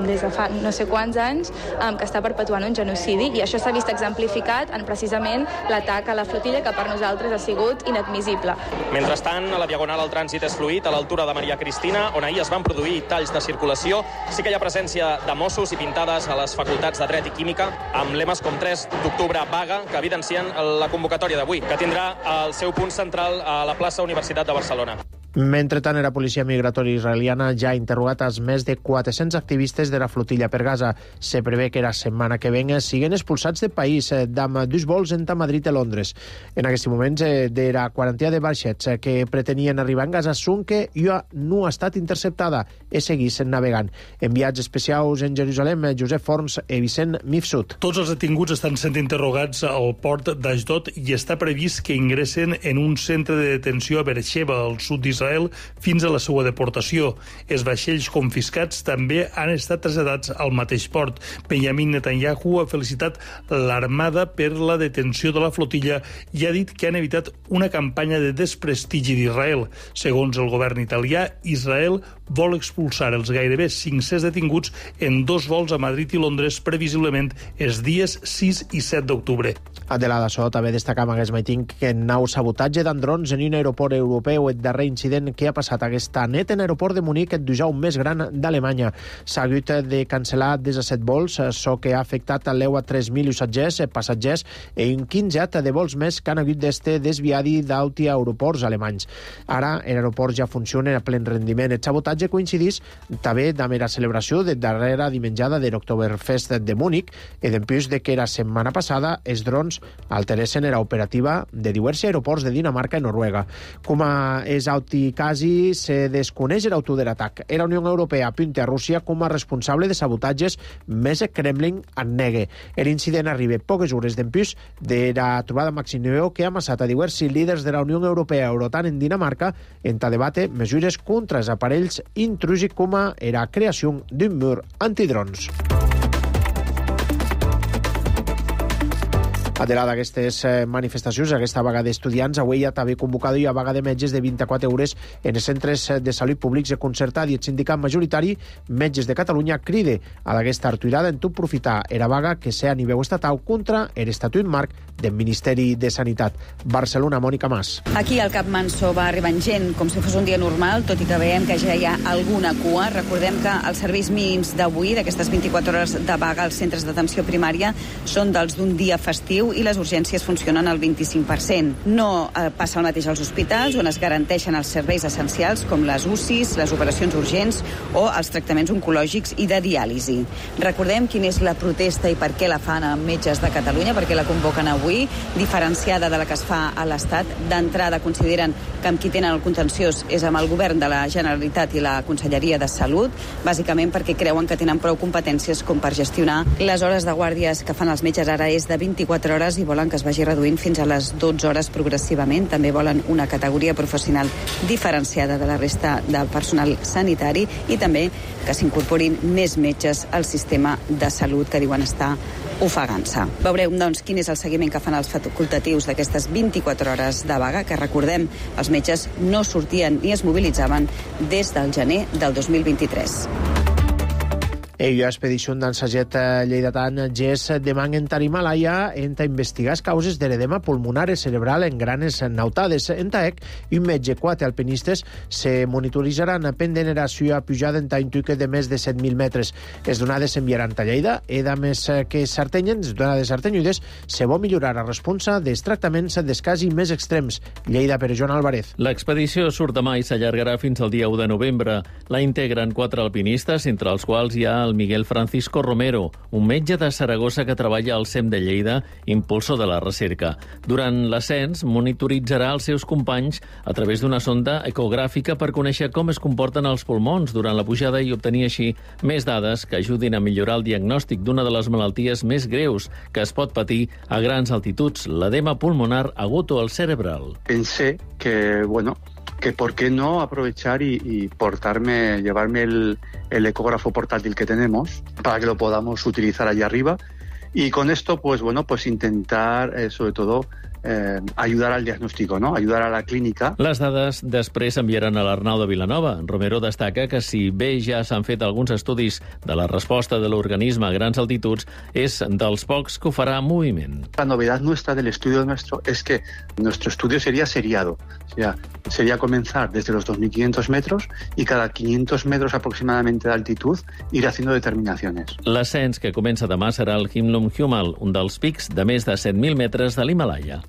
des de fa no sé quants anys que està perpetuant un genocidi, i això s'ha vist exemplificat en precisament l'atac a la flotilla, que per nosaltres ha sigut inadmissible. Mentrestant, a la Diagonal el trànsit és fluid a l'altura de Maria Cristina, on ahir es van produir talls de circulació. Sí que hi ha presència de Mossos i pintades a les facultats de Dret i Química amb lemes com 3 d'octubre vaga, que evidencien la convocatòria d'avui, que tindrà el seu punt central a la plaça Universitat de Barcelona. Mentrestant, la policia migratòria israeliana ja ha interrogat els més de 400 activistes de la flotilla per Gaza. Se prevé que la setmana que venga siguen expulsats del país amb 2 vols entre Madrid i Londres. En aquests moments, de la quarantia de vaixets que pretenien arribar a Gaza són que ja no ha estat interceptada i seguís navegant. Enviats especials en Jerusalem, Josep Forns i Vicent Mifsud. Tots els detinguts estan sent interrogats al port d'Ashdod i està previst que ingressen en un centre de detenció a Beersheba, al sud d'Israel, d'Israel fins a la seva deportació. Els vaixells confiscats també han estat traslladats al mateix port. Benjamin Netanyahu ha felicitat l'Armada per la detenció de la flotilla i ha dit que han evitat una campanya de desprestigi d'Israel. Segons el govern italià, Israel vol expulsar els gairebé 500 detinguts en 2 vols a Madrid i Londres, previsiblement els dies 6 i 7 d'octubre. Adelada Só també destacam aquest matí que en nau sabotatge d'androns en un aeroport europeu, el darrer incident que ha passat aquesta nit en l'aeroport de Munic, el dijous més gran d'Alemanya. S'ha hagut de cancel·lar des de 7 vols, això que ha afectat l'EUA 3.000 passatgers i un 15 de vols més que han hagut d'este desviadi d'alti aeroports alemanys. Ara, l'aeroport ja funciona a plen rendiment. El sabotatge coincidís també amb la celebració de darrera dimenjada de l'Oktoberfest de Múnich i d'empús de que la setmana passada els drons alteressin la operativa de diversos aeroports de Dinamarca i Noruega. Com a és auticasi, se desconeix l'autor de l'atac. La Unió Europea apunta a Rússia com a responsable de sabotatges, més el Kremlin en negue. L'incident arriba poques hores d'empús de la trobada Maximiliano que ha amassat a diversos líders de la Unió Europea Eurotan en Dinamarca en a debate mesures contra els aparells intrusos com a la creació d'un mur antidrons. Adelada aquestes manifestacions, aquesta vaga d'estudiants, avui ha també convocat a vaga de metges de 24 hores en els centres de salut públics i concertat i el sindicat majoritari Metges de Catalunya cride a aquesta arturada en tot profitar la vaga que sea a nivell estatal contra l'Estatut Marc del Ministeri de Sanitat. Barcelona, Mònica Mas. Aquí al Cap Manso va arribant gent com si fos un dia normal, tot i que veiem que ja hi ha alguna cua. Recordem que els serveis mínims d'avui, d'aquestes 24 hores de vaga als centres d'atenció primària, són dels d'un dia festiu i les urgències funcionen al 25%. No passa el mateix als hospitals, on es garanteixen els serveis essencials com les UCIs, les operacions urgents o els tractaments oncològics i de diàlisi. Recordem quina és la protesta i per què la fan amb Metges de Catalunya, perquè la convoquen avui, diferenciada de la que es fa a l'Estat. D'entrada consideren que amb qui tenen el contenciós és amb el govern de la Generalitat i la Conselleria de Salut, bàsicament perquè creuen que tenen prou competències com per gestionar les hores de guàrdies que fan els metges. Ara és de 24 hores i volen que es vagi reduint fins a les 12 hores progressivament. També volen una categoria professional diferenciada de la resta del personal sanitari i també que s'incorporin més metges al sistema de salut que diuen estar ofegant-se. Veurem, doncs, quin és el seguiment que fan els facultatius d'aquestes 24 hores de vaga, que recordem, els metges no sortien ni es mobilitzaven des del gener del 2023. La expedició d'ensaget lleidatà GES demana en Himalaya a investigar les causes de l'edema pulmonar cerebral en granes nautades. En TAEC, un metge 4 alpinistes se monitorizaran pendent la seva pujada en un de més de 7.000 metres. Les donades s'enviaran a Lleida i, a més que s'artenyen, les donades artenyudes, se vol millorar la responsa dels tractaments dels casos més extrems. Lleida, per Joan Álvarez. L'expedició surt demà i s'allargarà fins al dia 1 de novembre. La integren 4 alpinistes, entre els quals hi ha el Miguel Francisco Romero, un metge de Saragossa que treballa al CEM de Lleida, impulsor de la recerca. Durant l'ascens, monitoritzarà els seus companys a través d'una sonda ecogràfica per conèixer com es comporten els pulmons durant la pujada i obtenir així més dades que ajudin a millorar el diagnòstic d'una de les malalties més greus que es pot patir a grans altituds, l'edema pulmonar agut o el cerebral. Pensé que, que por qué no aprovechar y llevarme el ecógrafo portátil que tenemos para que lo podamos utilizar allá arriba y con esto pues intentar sobre todo ayudar al diagnóstico, ¿no? Ayudar a la clínica. Les dades després s'enviaran a l'Arnau de Vilanova. Romero destaca que si bé ja s'han fet alguns estudis de la resposta de l'organisme a grans altituds, és dels pocs que ho farà en moviment. La novedad nuestra del estudio nuestro es que nuestro estudio sería seriado. Sería comenzar desde los 2.500 metros y cada 500 metros aproximadamente de altitud ir haciendo determinaciones. L'ascens que comença demà serà el Himlum Humal, un dels pics de més de 7.000 metres de l'Himalaya.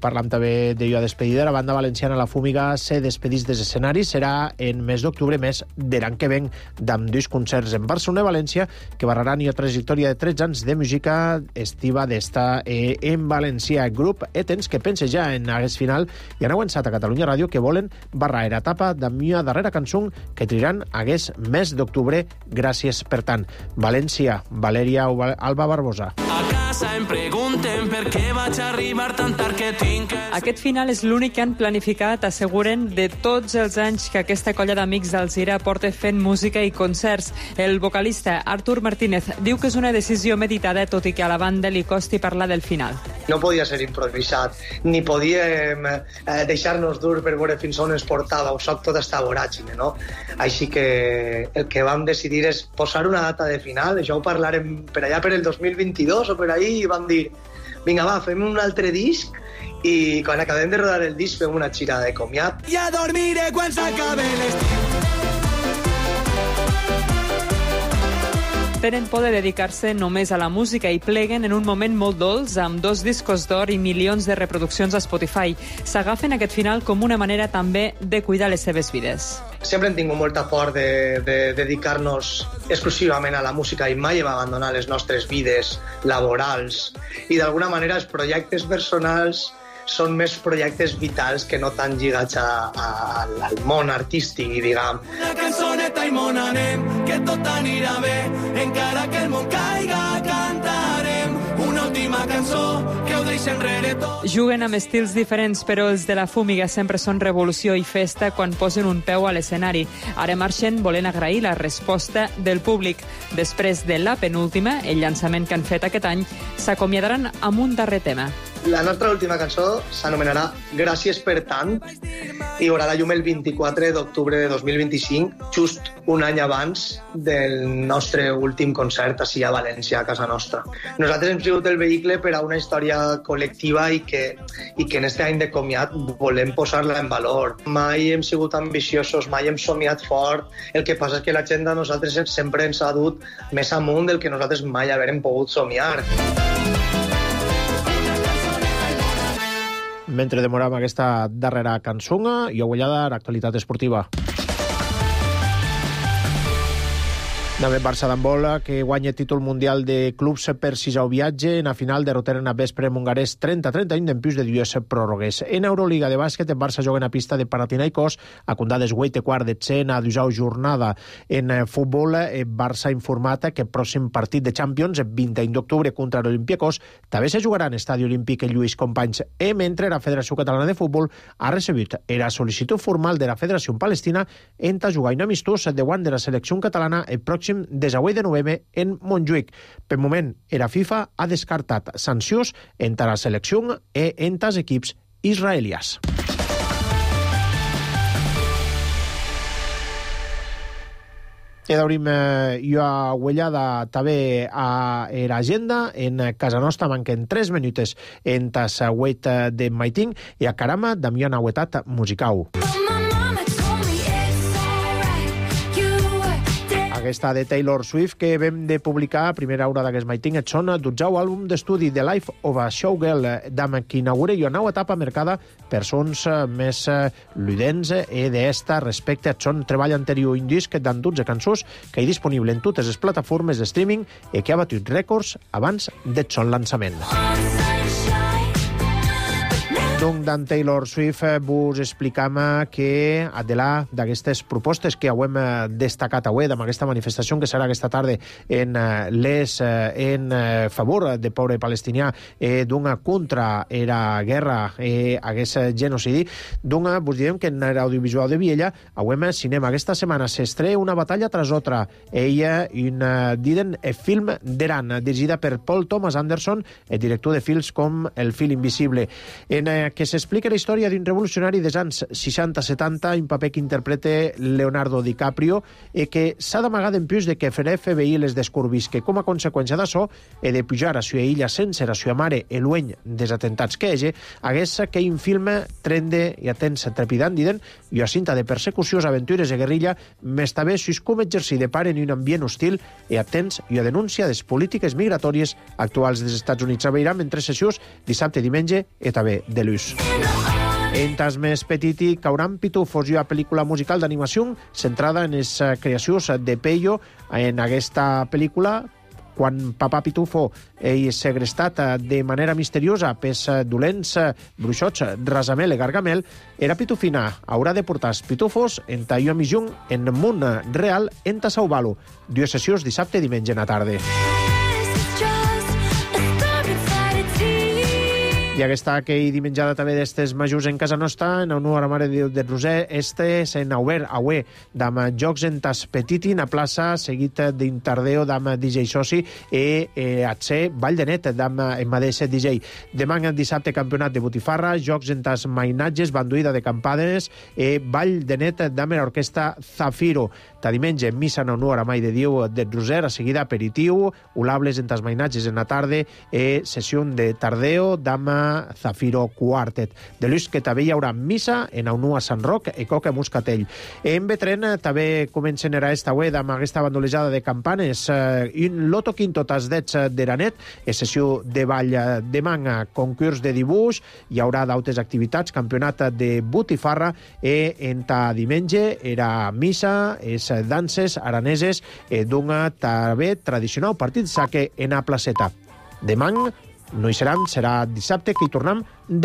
Parlam també de la despedida. La banda valenciana La Fúmiga se despedís dels escenaris. Serà en mes d'octubre, mes de l'any que ven, amb 2 concerts en Barcelona i València que barraran la trajectòria de 13 anys de música estiva d'esta en València. Grup Etens que pensa ja en aquest final i han avançat a Catalunya Ràdio que volen barrar la etapa amb una darrera cançó que triran aquest mes d'octubre. Gràcies per tant. València, Valèria Alba Barbosa. A casa em pregunten per què vaig a Aquest final és l'únic que han planificat, asseguren, de tots els anys que aquesta colla d'amics d'Alzira porta fent música i concerts. El vocalista Artur Martínez diu que és una decisió meditada, tot i que a la banda li costi parlar del final. No podia ser improvisat, ni podíem deixar-nos dur per veure fins on ens portava, o soc tota esta voràgine, no? Així que el que vam decidir és posar una data de final, això ho parlarem per allà per el 2022 o per ahí, i vam dir, vinga va, fem un altre disc, i quan acabem de rodar el disc fem una gira de comiat. Ja dormiré quan s'acabe l'estiu. Tenen por de dedicar-se només a la música i pleguen en un moment molt dolç amb 2 discos d'or i milions de reproduccions a Spotify. S'agafen aquest final com una manera també de cuidar les seves vides. Sempre hem tingut molta por de dedicar-nos exclusivament a la música i mai hem abandonat les nostres vides laborals. I d'alguna manera els projectes personals són més projectes vitals que no tan lligats al món artístic, diguem. Una cançoneta i mon anem, que tot anirà bé, encara que el món caiga cantarem una última cançó que ho deixa enrere tot. Juguen amb estils diferents, però els de la Fúmiga sempre són revolució i festa quan posen un peu a l'escenari. Ara marxen volent agrair la resposta del públic. Després de la penúltima, el llançament que han fet aquest any, s'acomiadaran amb un darrer tema. La nostra última cançó s'anomenarà Gràcies per tant i veurà la llum el 24 d'octubre de 2025, just un any abans del nostre últim concert ací a València, a casa nostra. Nosaltres hem sigut el vehicle per a una història col·lectiva i que en este any de comiat volem posar-la en valor. Mai hem sigut ambiciosos, mai hem somiat fort. El que passa és que la gent de nosaltres sempre ens ha dut més amunt del que nosaltres mai haurem pogut somiar. Mentre demorem aquesta darrera cançó, i agullada l'actualitat esportiva. També Barça d'handbol, que guanya títol mundial de clubs per 6è viatge en la final derroteren a Vespre Mungarès 30-31 d'empús de 2 pròrrogues. En Euroliga de bàsquet, el Barça juga en la pista de Panathinaikos, a condades 8 quart de 100 a 12 jornada. En futbol, el Barça ha informat que el pròxim partit de Champions, el 21 d'octubre contra l'Olympiacos, també se jugarà en Estadi Olímpic en Lluís Companys. Mentre la Federació Catalana de Futbol ha recebut la sol·licitud formal de la Federació Palestina en jugar un amistós davant de la selecció catalana el pròxim 18 de novembre en Montjuïc. Per moment, la FIFA ha descartat sancions entre la selecció i entre els equips israelians. I d'obrim jo aguellada també a l'agenda. En casa nostra manquen 3 minuts en tas 8 de maiting i a carama Damià Nauetat musicau. Aquesta de Taylor Swift que vam de publicar a primera hora d'aquest maiting et són 12 àlbum d'estudi The Life of a Showgirl, d'am qui inaugura una nova etapa marcada per sons més ludents i d'esta respecte a son treball anterior un disc d'en 12 cançons que hi disponible en totes les plataformes de streaming i que ha batut rècords abans de son lançament. Donc, d'en Taylor Swift vos explicam que, adela d'aquestes propostes que hem destacat avui, amb aquesta manifestació que serà aquesta tarda en favor del poble palestinià, d'una contra la guerra i aquest genocidi, doncs vos direm que en l'audiovisual de Viella, avui cinema aquesta setmana s'estrena Una batalla tras otra. Ella, diden film d'Iran, dirigida per Paul Thomas Anderson, el director de films com El fil invisible, en que s'explica la història d'un revolucionari dels anys 60-70, un paper que interpreta Leonardo DiCaprio, i que s'ha d'amagar d'empús de que fer FBI les descobrís, que com a conseqüència d'això he de pujar a sua illa sense la sua mare i lueny dels atentats que ege, hagués que un film trende i atens trepidant, diden, i a cinta de persecucions, aventures i guerrilla, més també sus com exercir de pare en un ambient hostil i atents i a denúncia de les polítiques migratòries actuals dels Estats Units. A veure, mentre sessions dissabte, diumenge i també de l'ús. En tas més petiti, Cauran Pitufos, una pel·lícula musical d'animació centrada en les creacions de Peyo. En aquesta pel·lícula, quan Papà Pitufo és segrestat de manera misteriosa pels dolents bruixots Razamel i Gargamel, era Pitufina haurà de portar els pitufos en una missió en el món real en salvar-lo. 2 sessions dissabte i diumenge a la tarda. I aquesta que hi dimenjada també d'estes majors en casa nostra, en el nou Mare de Déu de Roser, s'en obert aué d'am jocs en tas petiti na plaça, seguit d'intardeo d'am DJ Soci atse Vall de Net d'am en madeixa DJ. Demà dissabte campionat de botifarra, jocs en tas mainatges, banduïda de campades, Vall de Net d'am l'orquestra Zafiro. Ta diumenge missa en el nou Mare de Déu de Roser, a seguida aperitiu, ulables en tas mainatges en la tarde, sessió de tardeo d'am Zafiro Quartet. De l'ús que també hi haurà missa en el nou a Sant Roc i Coca Muscatell. En Betren també comencen era esta web amb aquesta bandolejada de campanes. Un loto quinto tas dets d'Eranet, sessió de ball de manga, concurs de dibuix, hi haurà d'altres activitats, campionat de botifarra, en ta diumenge era missa, danses araneses d'un també tradicional partit saque en a placeta. Demà no hi seran, serà dissabte que hi tornem